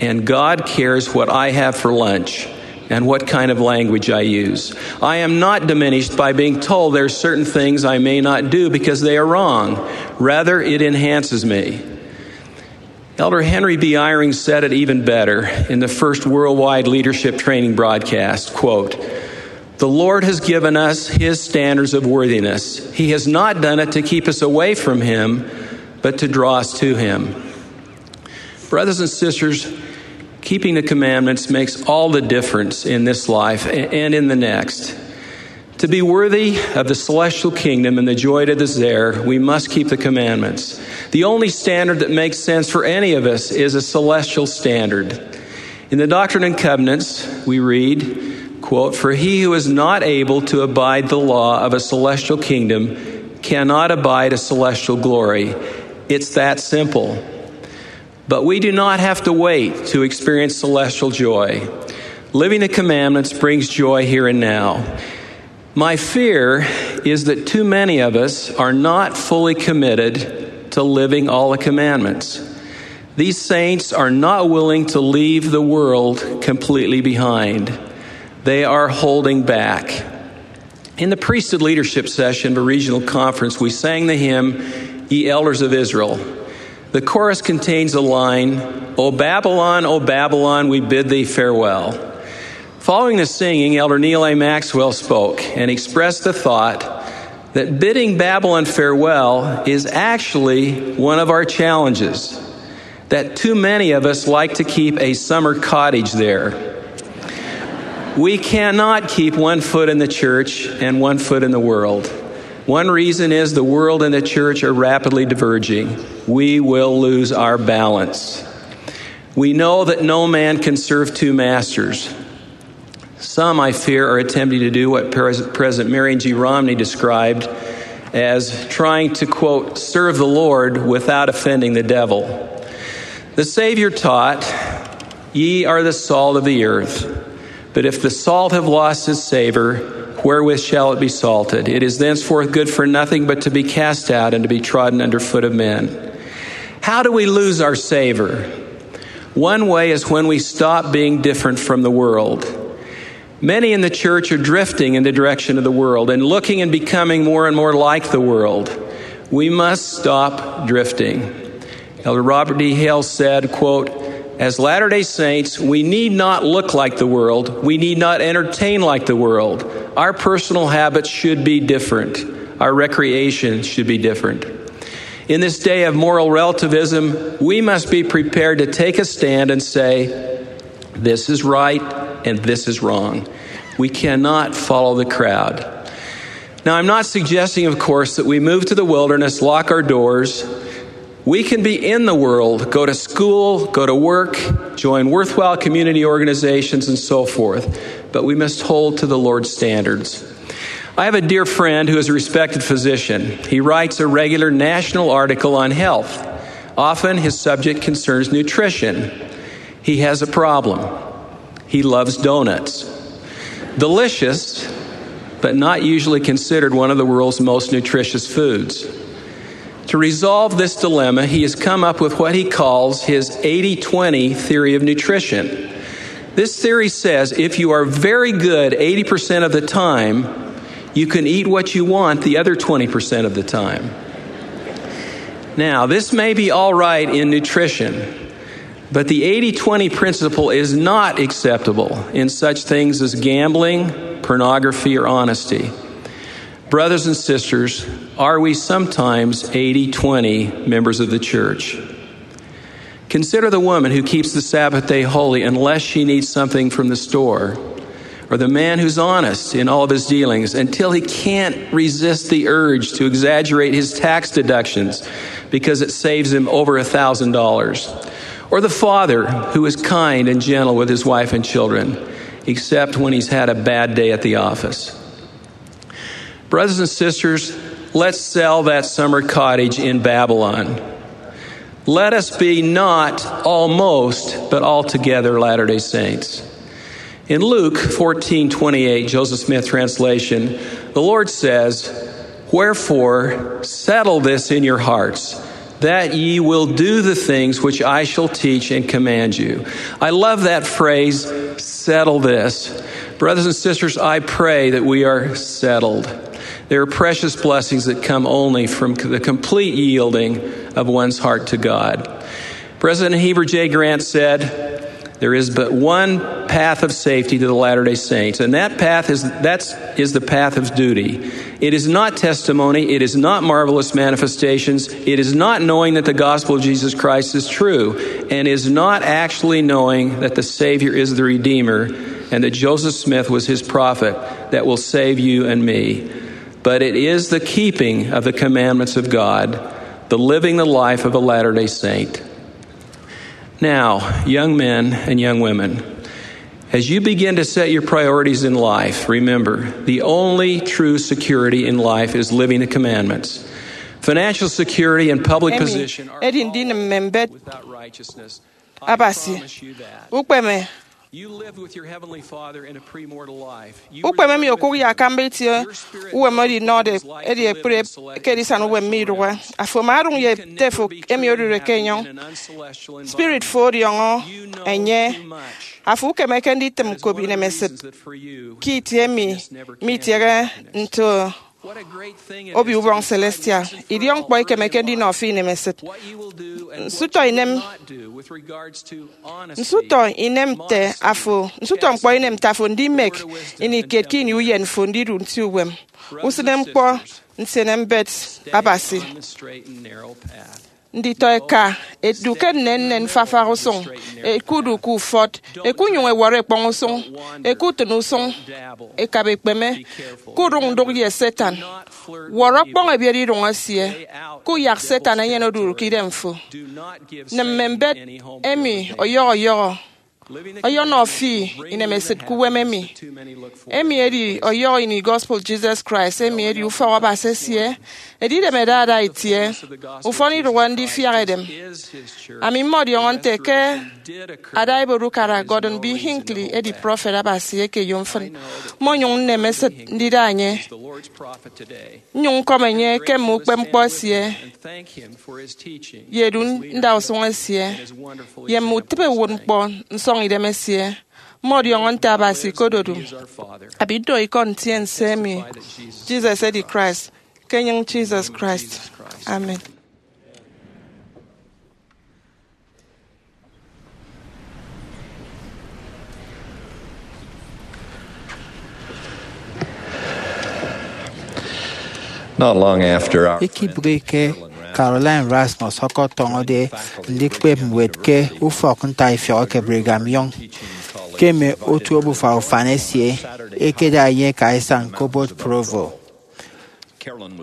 And God cares what I have for lunch and what kind of language I use. I am not diminished by being told there are certain things I may not do because they are wrong. Rather, it enhances me. Elder Henry B. Eyring said it even better in the first worldwide leadership training broadcast, quote, "The Lord has given us his standards of worthiness. He has not done it to keep us away from him, but to draw us to him." Brothers and sisters, keeping the commandments makes all the difference in this life a- and in the next. To be worthy of the celestial kingdom and the joy that is there, we must keep the commandments. The only standard that makes sense for any of us is a celestial standard. In the Doctrine and Covenants, we read, quote, "For he who is not able to abide the law of a celestial kingdom cannot abide a celestial glory." It's that simple. But we do not have to wait to experience celestial joy. Living the commandments brings joy here and now. My fear is that too many of us are not fully committed to living all the commandments. These saints are not willing to leave the world completely behind. They are holding back. In the priesthood leadership session of a regional conference, we sang the hymn, "Ye Elders of Israel." The chorus contains a line, "O Babylon, O Babylon, we bid thee farewell." Following the singing, Elder Neal A. Maxwell spoke and expressed the thought that bidding Babylon farewell is actually one of our challenges, that too many of us like to keep a summer cottage there. We cannot keep one foot in the church and one foot in the world. One reason is the world and the church are rapidly diverging. We will lose our balance. We know that no man can serve two masters. Some, I fear, are attempting to do what Pres- President Marion G. Romney described as trying to, quote, "serve the Lord without offending the devil." The Savior taught, "Ye are the salt of the earth. But if the salt have lost its savor, wherewith shall it be salted? It is thenceforth good for nothing but to be cast out and to be trodden under foot of men." How do we lose our savor? One way is when we stop being different from the world. Many in the church are drifting in the direction of the world and looking and becoming more and more like the world. We must stop drifting. Elder Robert D. Hales said, quote, "As Latter-day Saints, we need not look like the world. We need not entertain like the world. Our personal habits should be different. Our recreation should be different." In this day of moral relativism, we must be prepared to take a stand and say, "This is right and this is wrong." We cannot follow the crowd. Now, I'm not suggesting, of course, that we move to the wilderness, lock our doors. We can be in the world, go to school, go to work, join worthwhile community organizations, and so forth, but we must hold to the Lord's standards. I have a dear friend who is a respected physician. He writes a regular national article on health. Often his subject concerns nutrition. He has a problem. He loves donuts. Delicious, but not usually considered one of the world's most nutritious foods. To resolve this dilemma, he has come up with what he calls his eighty twenty theory of nutrition. This theory says if you are very good eighty percent of the time, you can eat what you want the other twenty percent of the time. Now, this may be all right in nutrition, but the eighty twenty principle is not acceptable in such things as gambling, pornography, or honesty. Brothers and sisters, are we sometimes eighty twenty members of the church? Consider the woman who keeps the Sabbath day holy unless she needs something from the store, or the man who's honest in all of his dealings until he can't resist the urge to exaggerate his tax deductions because it saves him over a thousand dollars, or the father who is kind and gentle with his wife and children, except when he's had a bad day at the office. Brothers and sisters, let's sell that summer cottage in Babylon. Let us be not almost, but altogether Latter-day Saints. In Luke fourteen twenty-eight, Joseph Smith translation, the Lord says, "Wherefore, settle this in your hearts. that ye will do the things which I shall teach and command you. I love that phrase, "Settle this." Brothers and sisters, I pray that we are settled. There are precious blessings that come only from the complete yielding of one's heart to God. President Heber J. Grant said, "There is but one path of safety to the Latter-day Saints, and that path is, that's, is the path of duty. It is not testimony, it is not marvelous manifestations, it is not knowing that the gospel of Jesus Christ is true, and is not actually knowing that the Savior is the Redeemer and that Joseph Smith was his prophet that will save you and me. But it is the keeping of the commandments of God, the living the life of a Latter-day Saint." Now, young men and young women, as you begin to set your priorities in life, remember, the only true security in life is living the commandments. Financial security and public position are edi ndinịm mme mbet without righteousness. Abasi. Ukpeme. You lived with your Heavenly Father in a premortal life. Ukpeme emi okụk ye akamba itie uwem oro inọde edi ekpri ke edisana uwem mme idụhe. Afo ama odụñ ye ete fo emi odụride ke enyọñ. Spirit fo ọdiọñọ enye. Afo ukemeke nditịm kop inemesịt ke itie emi mitiehe nto obio ubọñ celestial. Idiọkñkpọ ikemeke ndinọ fi inemesịt. Nsụtọ inem, nsụtọ inem nte afo, nsụtọ ñkpọ inem nte afo ndimek ini kiet ke ini uyen fo ndidu nti uwem. Usịne ñkpọ ntiene mbet Abasi. Nditọ eka ẹdu ke nnennen fafak usụñ, ẹkudu ke ufọt, ẹkunyụñ ẹwọrọ ẹkpọñ usụñ, ẹkutịn usụñ, ẹkabekpeme, kudụñ ndụk ye Satan. Wọrọ ọkpọñ ebiet idụñ esie, kuyak Satan enyene odudu ke idemfo. Nịm mme mbet emi ọyọhọ ọyọhọ. Ọyọnọ fi inemesịt ke uwem emi. Emi edi ọyọhọ ini gospel Jesus Christ, emi edi ufọk Abasi esie. Edidem ẹda ada itie, ufọn idụhe ndifiak edem. Ami mmọdiọñọ nte ke ada Ibot Ukara Gordon B. Hinckley edi prọfet Abasi eke eyomfịn, mmonyụñ nnem esịt ndida enye. Nnyụñ ñkọm enye ke mme ukpepñkpọ esie ye edu ndausụñ esie ye mme utịbe uwụtñkpọ nsọñidem esie. Mmọdiọñọ nte Abasi ikododu. Ami ndo ikọ ntiense emi, Jesus edi Christ, ke enyịñ Jesus Christ. Amen. Not long after our friend Ikibụghike Caroline Rasmus ọkọtọñọde ndikpep ñwed ke ufọk ntaifiọk eke Brigham Young, ke mme otu obufa ufan esie ẹkeda enye ẹka isañ ke obot Provo.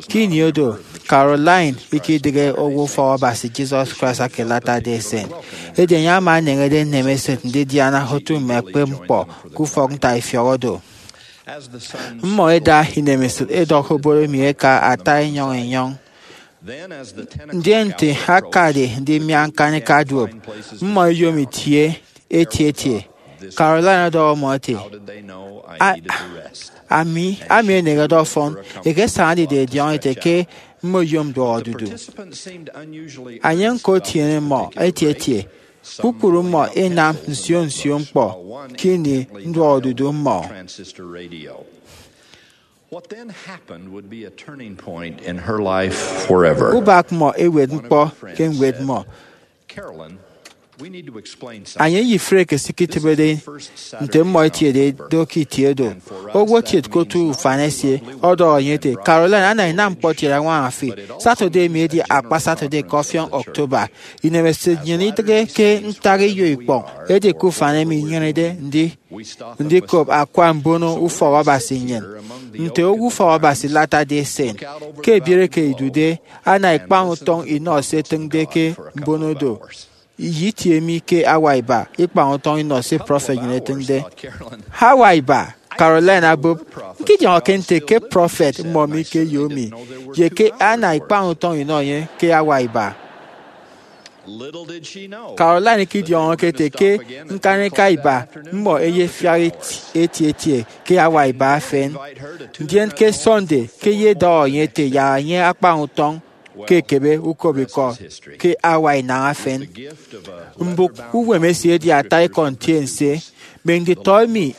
Ke ini oro, Caroline ikidịghe owo ufọk Abasi Jesus Christ eke Latter-day Saint, edi enye ama eneñede nnem esịt ndidiana otu mme ẹkpep ñkpọ ke ufọk ntaifiọk oro. Mmọ ẹda inemesịt ẹdọk obot emi ẹka ata enyọñ enyọñ. Ndien nte akade ndimia ñkanika duop, mmọ ẹyom itie eti eti. Caroline ọdọhọ mmọ ete, "A-, ami, ami enehede ọfọn, eke ẹsañade ido ẹdiọñọ ete ke mmoyom nduọkodudu." Enye ñko etiene mmọ eti eti. Kpukpru mmọ ẹnam nsio nsio ñkpọ ke ini nduọkodudu mmọ. What then happened would be a turning point in her life forever. Ubak mmọ ewet ñkpọ ke ñwed mmọ. Carolyn, we need to explain something. Enye ye Frank esiketịbede nte mmọ etiede do ke itie do. Owo kiet ke otu ufan esie ọdọhọ enye ete, "Caroline, ana inam ñkpọ kiet añwaña fi. Saturday emi edi akpa Saturday ke ọfiọñ October. Inemesịt nnyịn idịghe ke ntak eyo ikpọñ, edi ke ufan emi inyenede ndi ndikop akwa mbono ufọk Abasi nnyịn, nte owo ufọk Abasi Latter-day Saint. Ke ebiere ke idude, ana ikpañ utọñ inọ se ẹtịñde ke mbono do. Iyitiemi ke awa iba, ikpañ utọñ inọ se prọfet nnyịn etịñde." "Awa iba?" Caroline abụp. "Ñkidiọñọke nte ke prọfet mmọ mi ke eyo mi, ye ke ana ikpañ utọñ inọ enye ke awa iba." Caroline ikidiọñọke ete ke ñkanika iba mmọ ẹyefiak eti eti ke awa iba efen, ndien ke Sunday ke ẹyedọhọ enye ete yak enye akpañ utọñ. ke ekebe ukop ikọ ke awa inañ efen. Mbụk uwem esie edi ata ikọ ntiense, mme nditọ emi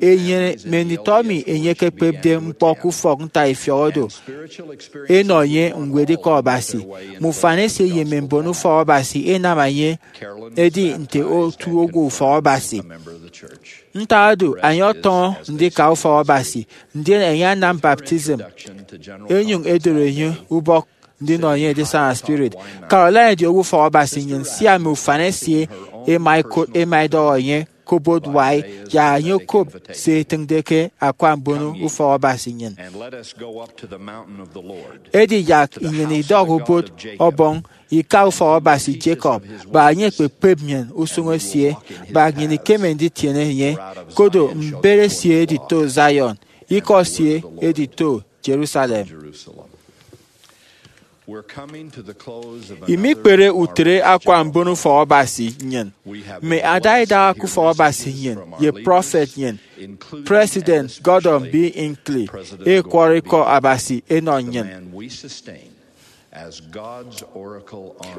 enyene mme nditọ emi enye ekekpepde ñkpọ ke ufọk ntaifiọk odo enọ enye ñwed ikọ Abasi. Mme ufan esie ye mme mbon ufọk Abasi enam enye edi nte otu owo ufọk Abasi. Ntak oro, enye ọtọñọ ndika ufọk Abasi, ndien enye anam baptism, enyuñ edoro enye ubọk ndinọ enye edisana spirit. Caroline edi owo ufọk Abasi nnyin sia mme ufan esie ema ekot ema edọhọ enye ke obot wai yak enye okop se etiñde ke akwa mbono ufọk Abasi nnyin. Edi yak nnyin idọk obot ọbọñ ika ufọk Abasi Jacob, kpa enye ekpekpep nnyin usuñ esie, kpa nnyin ikeme nditiene enye, kodo mbet esie edito Zion, ikọ esie edito Jerusalem. Imikpere utre akwa mbono ufọk Abasi nnyin, mme ada idaha ke ufọk Abasi nnyin ye prọfet nnyin, President Gordon B. Hinckley, ekwọrọ ikọ Abasi enọ nnyin.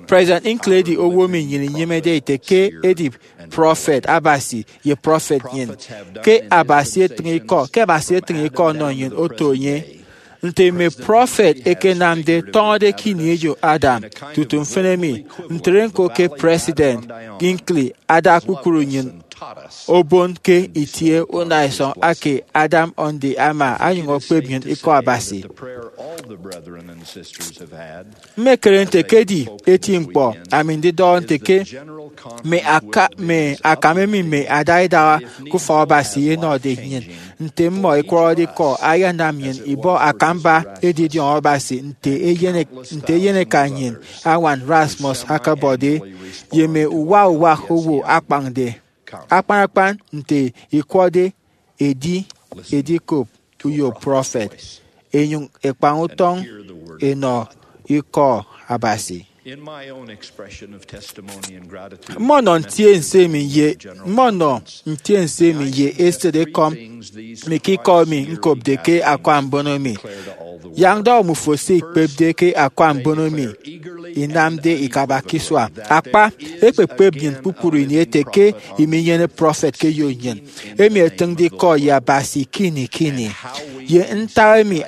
President Hinckley edi owo emi nnyin inyimede ite ke edi prọfet Abasi ye prọfet nnyin. Ke Abasi etịñ ikọ ke Abasi etịñ ikọ ọnọ nnyin oto enye. Nte mme prọfet ekenamde tọñọde ke ini eyo Adam tutu mfịn emi, ntre ñko ke President Hinckley ada kpukpru nnyịn obon ke itie unaisọñ ake Adam Ondi ama onyụñ okpep nnyịn ikọ Abasi. Mmekere nte ke edi eti ñkpọ ami ndidọhọ nte ke mme aka- mme akam emi mme ada idaha ke ufọk Abasi ẹnọde nnyịn, nte mmọ ẹkwọrọde ikọ, ayanam nnyịn ibọ akamba edidiọñ Abasi nte eyen- nte eyeneka nnyịn, añwan Rasmus, akabọde, ye mme uwa uwa owo akpañde, akpan akpan nte ikwọde edi edikop uyo prọfet, ẹnyụñ ẹkpañ utọñ ẹnọ ikọ Abasi. Mmọnọ ntiense emi ye mmọnọ ntiense emi ye esịt ekọm mi ke ikọ emi ñkopde ke akwa mbono mi. Yak ndọhọ mmufo se ikpepde ke akwa mbono mi inamde ikabak isua. Akpa, ekpekpep nnyịn kpukpru ini ete ke iminyene prọfet ke eyo nnyịn, emi etịñde ikọ ye Abasi ke ini ke ini, ye ntak emi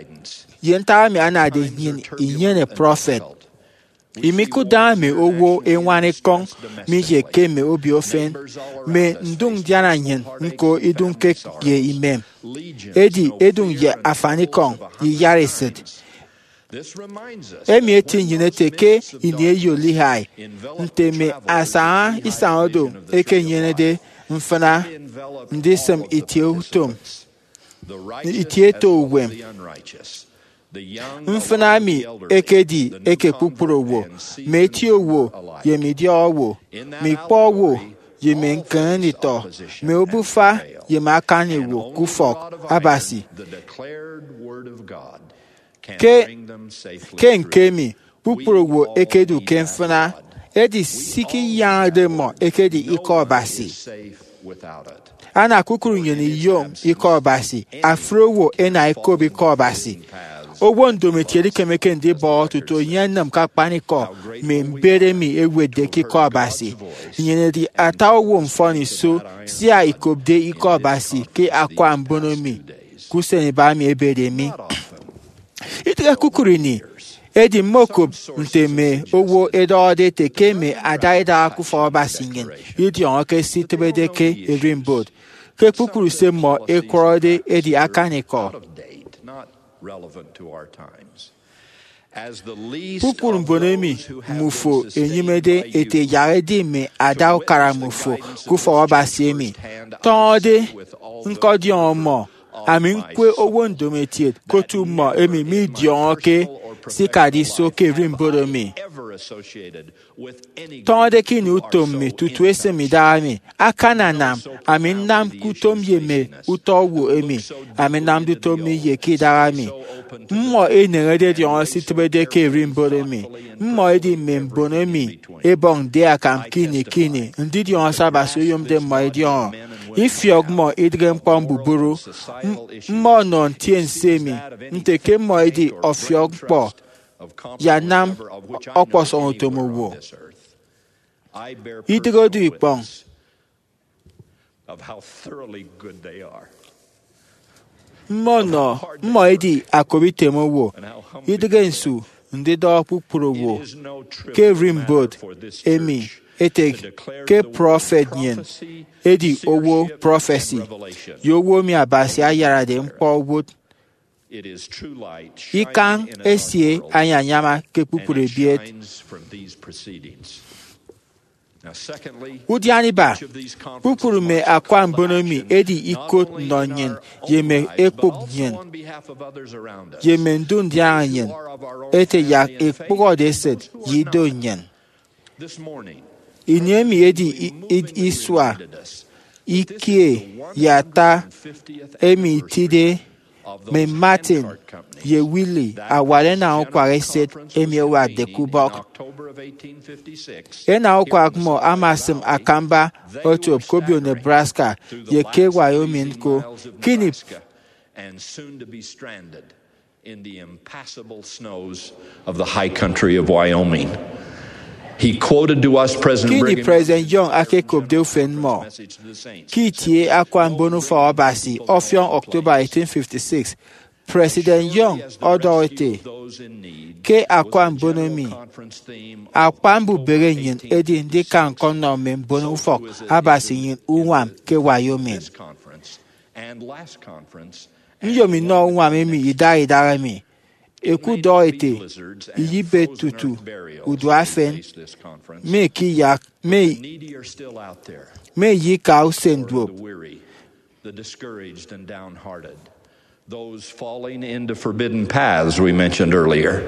ye ntak emi anade nnyịn inyene prọfet. Imikụtde mme owo eñwan ekọñ mi ye ke mme obio efen, mme ndụñ ndiana nnyịn ñko idụñke ye imem, edi edụñ ye afanikọñ ye iyaresịt. Emi eti nnyịn ete ke ini eyo Lehi, nte mme asaña isañ odo ẹkenyenede mfịna ndisịm itie utom itie eto uwem. Mfịna emi ekedi eke kpukpru owo, mme eti owo ye mme idiọk owo, mme ikpọ owo ye mme ñkeñenditọ, mme obufa ye mme akani owo ke ufọk Abasi. Ke ke ñke emi, kpukpru owo ẹkedu ke mfịna, edi se ikiyañade mmọ ekedi ikọ Abasi. Ana kpukpru nnyịn iyom ikọ Abasi, afri owo ẹna ẹkop ikọ Abasi. Owo ndomokiet ikemeke ndibọhọ tutu enye enịm ke akpanikọ mme mbet emi ẹwetde ke ikọ Abasi. Nnyịn edi ata owo mfọniso sia ikopde ikọ Abasi ke akwa mbono mi ke usen iba emi ebede mi. Idịghe kpukpru ini, edi mmokop nte mme owo ẹdọhọde ete ke mme ada idaha ke ufọk Abasi nnyịn idiọñọke se itịbede ke ererimbot, ke kpukpru se mmọ ẹkwọrọde edi akanikọ. Kpukpru mbon emi mmufo enyịmede ete yak ẹdi mme ada ukara mmufo ke ufọk Abasi emi, tọñọde ñkọdiọñọ mmọ. Ami ñkwe owo ndomokiet ke otu mmọ emi midiọñọke se ikade iso ke ererimbot emi. Tọñọde ke ini utom mi tutu esịm idaha mi, akananam ami nnam ke utom ye mme utọ owo emi ami nnamde utom mi ye ke idaha mi. Mmọ eneñede ẹdiọñọ se itịbede ke ererimbot emi. Mmọ edi mme mbon emi ẹbọñde akam ke ini ke ini ndidiọñọ se Abasi oyomde mmọ ẹdiọñọ. Ifiọk mmọ idịghe ñkpọ mbubru. M- mmọ ọnọ ntiense emi nte ke mmọ edi ọfiọk ñkpọ ye anam ọkpọsọñ utom owo. Idịghe odu ikpọñ. Mmọ nọ, mmọ edi akop item owo, idịghe nsu ndidọhọ kpukpru owo ke ererimbot emi ete ke prọfet nnyịn edi owo prọfesi ye owo emi Abasi ayarade ñkpọ owot. Ikañ esie anyañama ke kpukpru ebiet. Udian iba, kpukpru mme akwa mbono emi edi ikot nnọ nnyịn ye mme ekpụk nnyịn ye mme ndu ndiaña nnyịn ete yak ikpụhọde esịt ye ido nnyịn. Ini emi edi i- i- isua ikie ye ata emi itide mme Martin ye Willie awat enañukwak eset emi ẹwatde ke ubọk. Enañukwak mmọ ama asịm akamba otop ke obio Nebraska ye ke Wyoming ñko. Kini, and soon to be stranded in the impassable snows of the high country of Wyoming. He quoted to us President kini Brigham President Young akekopde ufen mmọ ke itie akwa mbono ufọk Abasi ọfiọñ October eighteen fifty-six. President Young ọdọhọ ete, ke akwa mbono emi, akpa mbubehe nnyịn edi ndika ñkọnnọ mme mbono ufọk Abasi nnyịn uñwam ke Wyoming. Nyom inọ uñwam emi idaha idaha emi. Ẹkudọhọ ete, iyịbe tutu uduafen, mme ke iyak, mme, mme ye ika usen duop. The discouraged and downhearted, those falling into forbidden paths we mentioned earlier,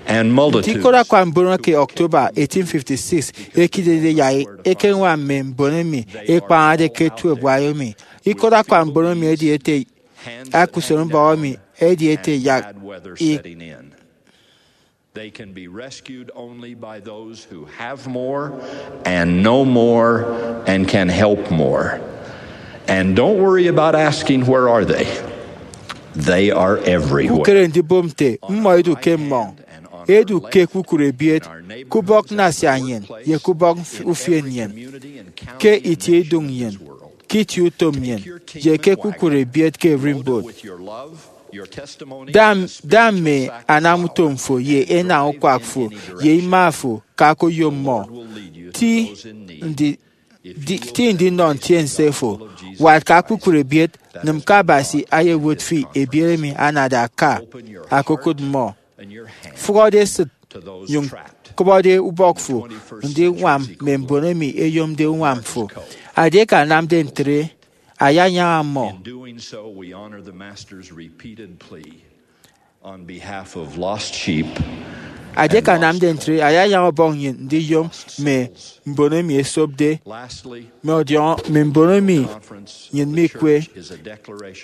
and multitudes. Nte ikot akwa mbono ke October eighteen fifty-six ekidide yak ekeñwam mme mbon emi ekpañade ke tuep Wyoming. Ikot akwa mbono emi edi ete, aka usen ubọk emi edi ete yak i- They can be rescued only by those who have more and know more and can help more. And don't worry about asking, "Where are they?" They are everywhere. Kukere ndibom nte mmọ idu ke mmọñ. Edu ke kpukpru ebiet, ke ubọk nnasia nnyịn, ye ke ubọk ufien nnyịn, ke itie idụñ nnyịn, ke itie utom nnyịn, ye ke kpukpru ebiet ke ererimbot. Da, da mme anamutom fo ye enañukwak fo ye ima fo, ka ke oyom mmọ. Ti ndi, di, ti ndinọ ntiense fo. Wat ka kpukpru ebiet, nịm ke Abasi ayewot fi ebiet emi anade aka, akokụt mmọ. Fụhọde esịt, nyụñ kụbọde ubọk fo ndiñwam mme mbon emi eyomde uñwam fo. Edieke anamde ntre, ayanyaña mmọ. In doing so, we honor the Master's repeated plea on behalf of lost sheep. Edieke anamde ntre, ayanyaña ọbọñ nnyịn ndiyom mme mbon emi esopde, mme ọdiọñọ mme mbon emi nnyịn mikwe.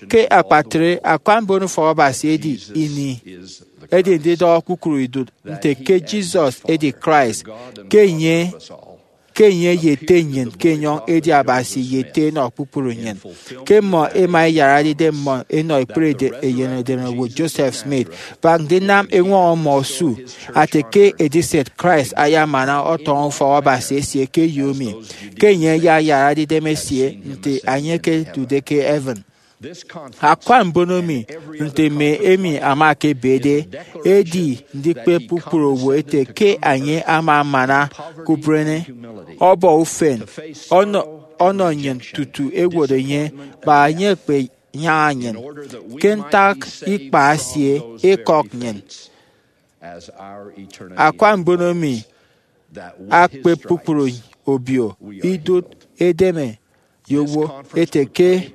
Ke akpatre, akwa mbono ufọk Abasi edi ini, edi ndidọhọ kpukpru idụt nte ke Jesus edi Christ, ke enye ke enye ye ete nnyịn ke enyọñ edi Abasi ye ete enọ kpukpru nnyịn, ke mmọ ẹma ẹyarade idem mmọ ẹnọ ekpere eyen edenowo Joseph Smith, bak ndinam eñwọñọ mmọ osu ate ke ediset Christ ayamana ọtọñọ ufọk Abasi esie ke eyo emi, ke enye ayayarade idem esie nte enye ekedude ke heaven. Akwa mbono mi, nte mme emi ama ke ebede, edi ndikpep kpukpru owo ete ke enye ama amana ke uberene, ọbọ ufen, ọnọ, ọnọ nnyịn tutu ẹwot enye, kpa enye ekpenyaña nnyịn, ke ntak ikpa esie ikọk nnyịn. Akwa mbono mi akpep kpukpru obio idụt edeme ye owo ete ke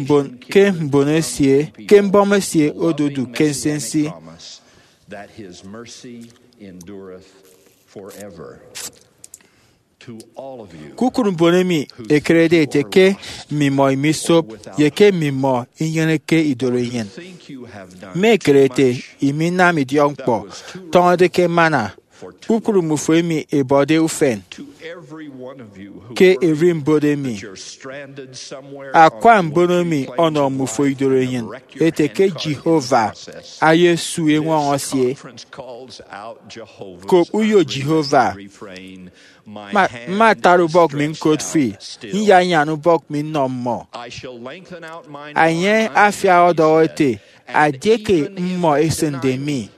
mbon, ke mbon esie, ke mbọm esie odudu ke nsinsi. Kukụt mbon emi ẹkerede ete ke mmimọ imisop ye ke mmimọ inyeneke idoro enyịn. Mme ẹkere ete iminam idiọkñkpọ tọñọde ke manna, kpukpru mbufo emi ẹbọde ufen. ke ererimbot emi. Akwa mbono mi ọnọ mmufo idoro enyịn ete ke Jehovah ayesu eñwọñọ esie. Kop uyo Jehovah. Mma, mma atara ubọk mi ñkot fi, nyanyan ubọk mi nnọ mmọ. Enye afiak ọdọhọ ete, Edieke mmọ ẹsịnde mi,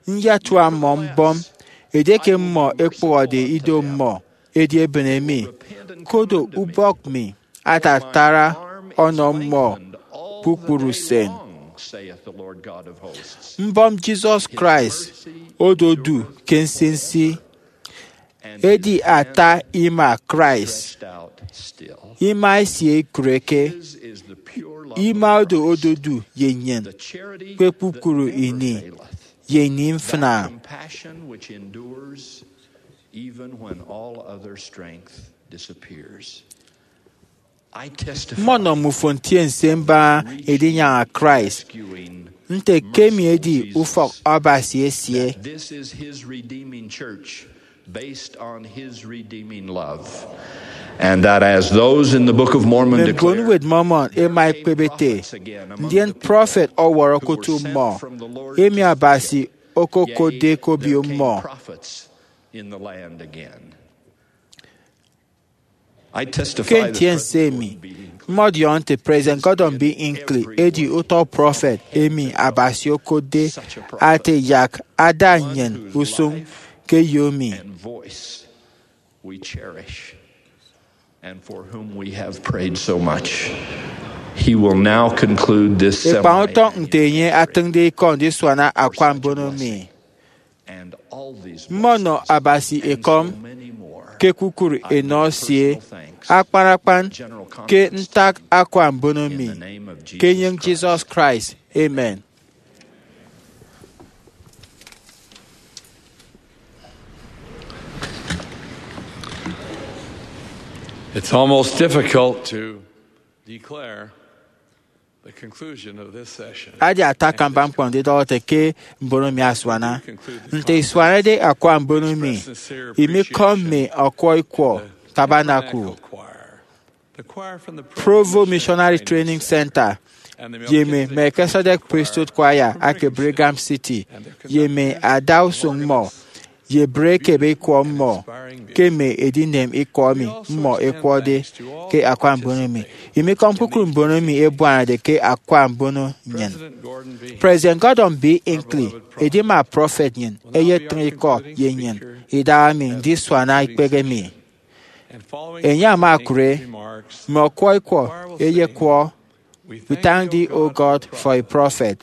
nyatua mmọ mbọm. Edieke mmọ ẹkpụhọde ido mmọ, edi ẹbịne mi, kodo ubọk mi atatara ọnọ mmọ kpukpru usen. Mbọm Jesus Christ ododu ke nsinsi. Edi ata ima Christ, ima esie ikụreke. Ima odo ododu ye nnyịn ke kpukpru ini ye ini mfịna. Mmọnọ mmufo ntiense mbaña edinyaña Christ, nte ke emi edi ufọk Abasi esie. Based on his redeeming love. And that as those in the Book of Mormon declare, mbon uwet Mormon ema ekpep ete, ndien prọfet ọwọrọ kotu mmọ, emi Abasi okokotde ke obio mmọ. Ke ntiense emi, mmọdiọñọ nte President Gordon B. Hinckley edi utọ prọfet emi Abasi okotde ate yak ada nnyịn usụñ ke eyo mi. Ekpañ utọñ nte enye atịñde ikọ ndisuana akwa mbono mi. Mmọnọ Abasi ekọm ke kpukpru enọ esie, akpan akpan ke ntak akwa mbono mi, ke enyịñ Jesus Christ. Amen. It's almost difficult to declare the conclusion of this session. Adi ata akamba ñkpọ ndidọhọ ete ke mbono mi asuana. Nte isuanade akwa mbono mi, imikọm mme ọkwọ ikwọ Tabernacle, Provo Missionary Training Center, ye mme Melchizedek Priesthood Choir ake Brigham City, ye mme ada usụñ mmọ, ye bre ekebe ikwọ mmọ ke mme edinem ikọ emi mmọ ẹkwọde ke akwa mbono mi. Imikọm kpukpru mbono mi ebuanade ke akwa mbono nnyịn. President Gordon B. Hinckley, edima prọfet nnyịn, eyetịñ ikọ ye nnyịn idahaemi ndisuana ikpehe mi. Enye ama okụre, mme ọkwọ ikwọ ẹyekwọ, We thank thee, O God, for a prophet.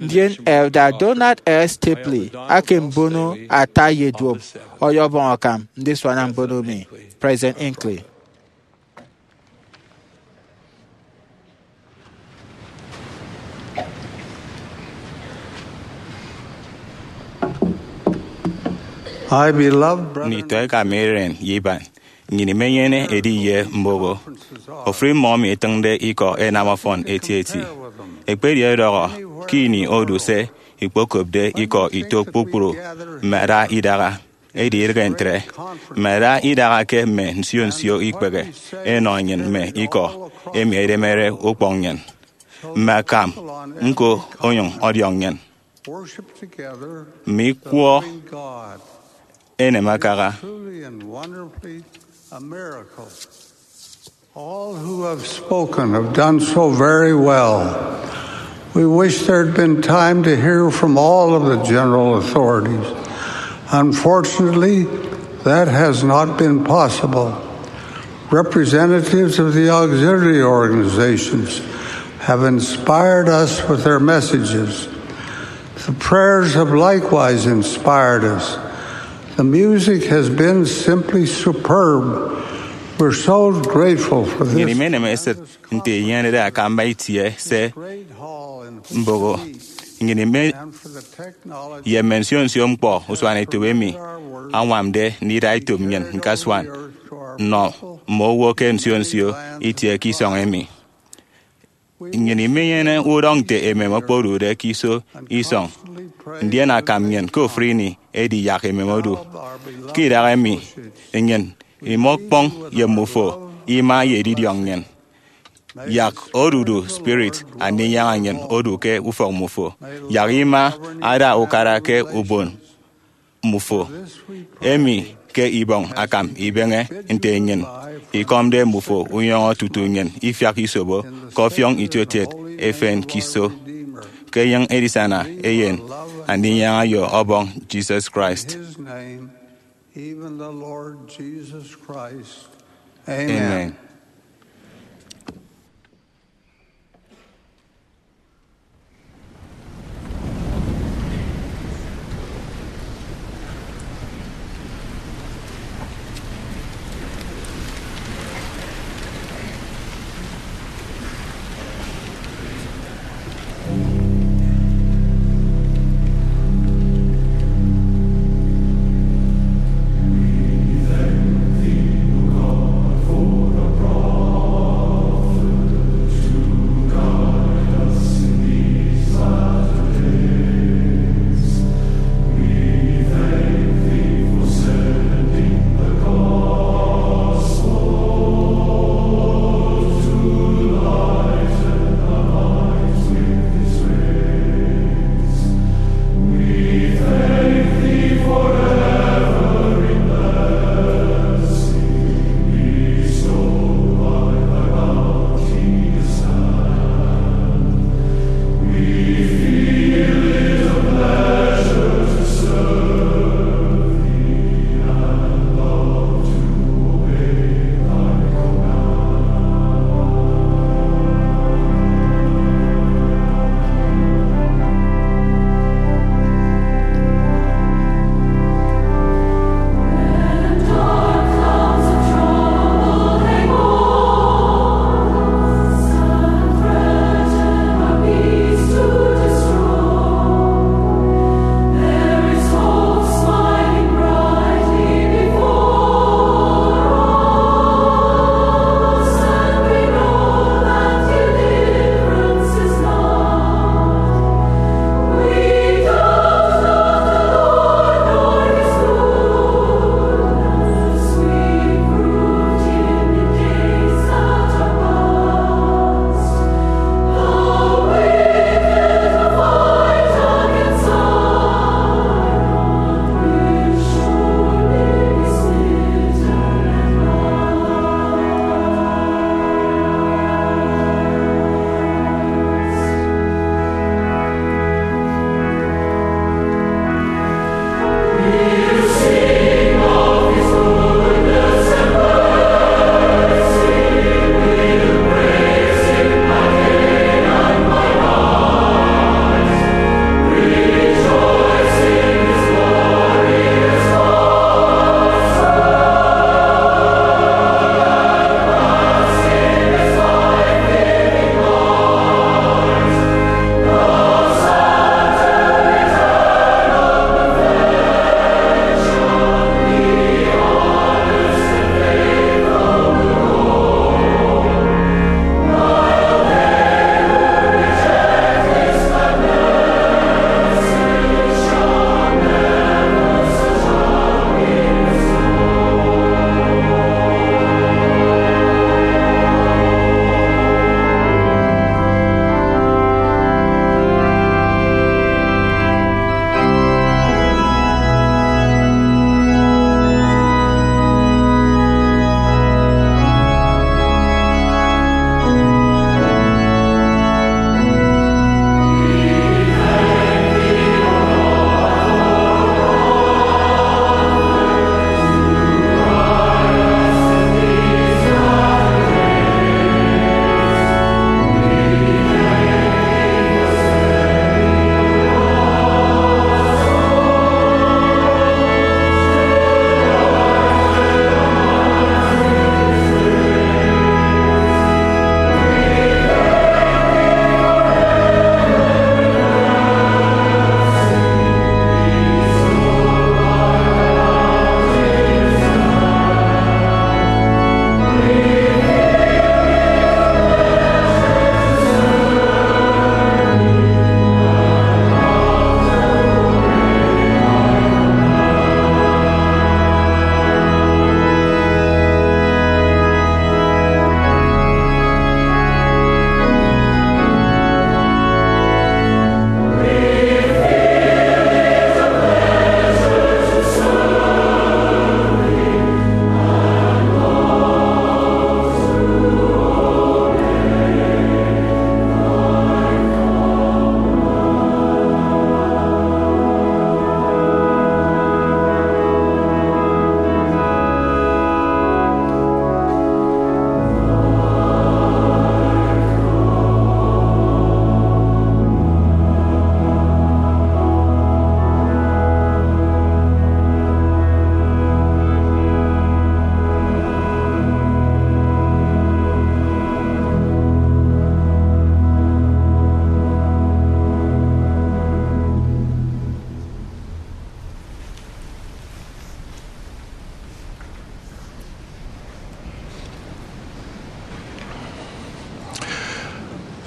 Ndien Elder Donald L. Stapley, ake mbono ata ye duop, ọyọbọñ akam ndisuana mbono mi. President Hinckley. My beloved brethren, nditọ eka mi iren ye iban, nnyịn imenyene edi ye mboho ofụri mmọ emi ẹtịñde ikọ ẹnam ọfọn etieti. Ekpedi ẹdọhọ ke ini odu se ikpokopde ikọ ito kpukpru mme ada idaha. Edi idịghe ntre, mme ada idaha ke mme nsio nsio ikpehe ẹnọ nnyịn mme ikọ emi ẹdemede ukpọñ nnyịn, mme akam ñko onyụñ ọdiọñ nnyịn. Mme ikwọ enem akaha. All who have spoken have done so very well. We wish there had been time to hear from all of the general authorities. Unfortunately, that has not been possible. Representatives of the auxiliary organizations have inspired us with their messages. The prayers have likewise inspired us. The music has been simply superb. We're so grateful for this. Nnyịn imenem esịt nte inyenede akamba itie se mboho. Nnyịn ime ye mme nsio nsio ñkpọ usuanetop emi añwamde ndida etop nnyịn ñkasuan nnọ mme owo ke nsio nsio itie ke isọñ emi. Nnyịn imenyene udọñ nte emem okpodude ke iso isọñ, ndien akam nnyịn ke ofụri ini edi yak emem odu. Ke idaha emi, nnyịn Imọkpọñ ye mmufo ima ye edidiọñ nnyịn. Yak odudu spirit Andinyaña nnyịn odu ke ufọk mmufo. Yak ima ada ukara ke ubon mmufo, emi ke ibọñ akam ibeñe nte nnyịn ikọmde mmufo unyọñọ tutu nnyịn ifiak isobo ke ọfiọñ itiokiet efen ke iso, ke enyịñ edisana Eyen Andinyaña ye Ọbọñ Jesus Christ. Even the Lord Jesus Christ. Amen. Amen.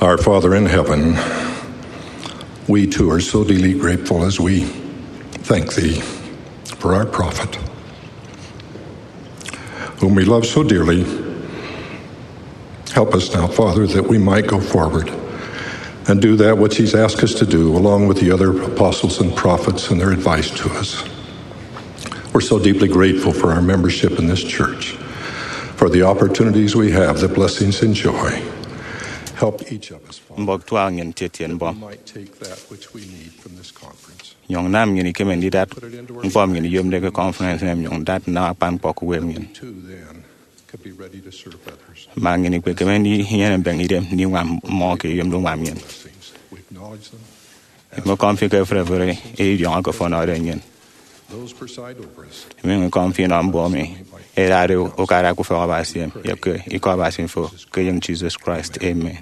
Our Father in heaven, we too are so deeply grateful as we thank thee for our prophet, whom we love so dearly. Help us now, Father, that we might go forward and do that which he's asked us to do, along with the other apostles and prophets and their advice to us. We're so deeply grateful for our membership in this church, for the opportunities we have, the blessings and joy. Help each of us, Father, mbọk tuak nnyịn ntientie mbọm, might take that which we need from this conference. Nyụñ nam nnyịn ikeme ndidat ñkpọ nnyịn iyomde ke conference emi, nyụñ dat nnam akpan ñkpọ ke uwem nnyịn. Too, then, could be ready to serve others. Ma nnyịn ikpekeme ndinyene mbeñe idem ndiñwam mmọ ke eyomde uñwam nnyịn. Blessings. We acknowledge them. Imekọm fi ke efre efre edidiọñọ ke fo ọnọde nnyịn. Those preside over us. Imekọm fi inọ mbon emi ẹdade ukara ke ufọk Abasi emi, ye ke Ikọ Abasi fo, ke eyen Jesus Christ. Amen.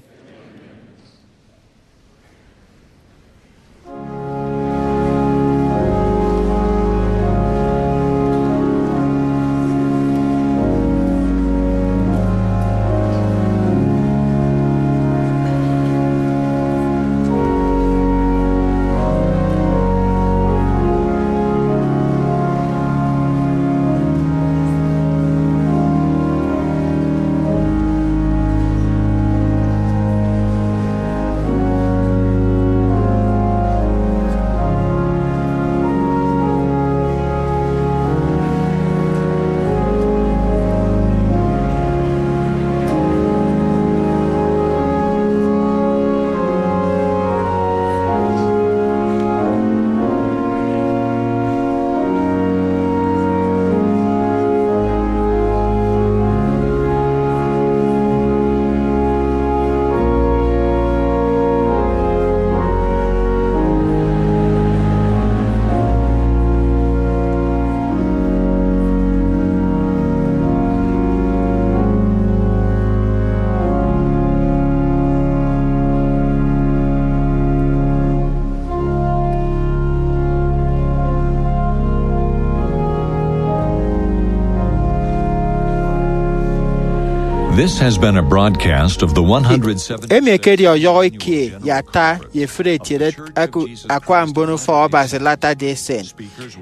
This has been a broadcast of the one hundred seventy. Emi ekedi ọyọhọ ikie ye ata ye efịt etiede aku-, akwa mbon ufọk Abasi Latter-day Saint.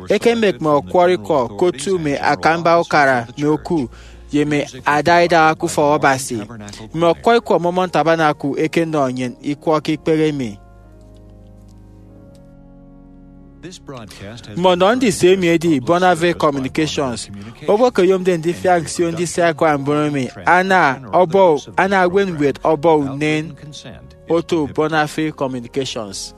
Ekemek mme ọkwọrọ ikọ ke otu mme akamba ukara mme oku ye mme ada idaha ke ufọk Abasi. Mme ọkwọrọ ikọ Mormon Tabernacle ẹkenọ nnyịn ikwọ ke ikpehe emi. Mme ọnọ ndise emi edi Bonavie Communications. Owo ke oyomde ndifiak nsio ndise akwa mbon emi ana ọbọ, ana ewen ñwed ọbọ unen oto Bonavie Communications.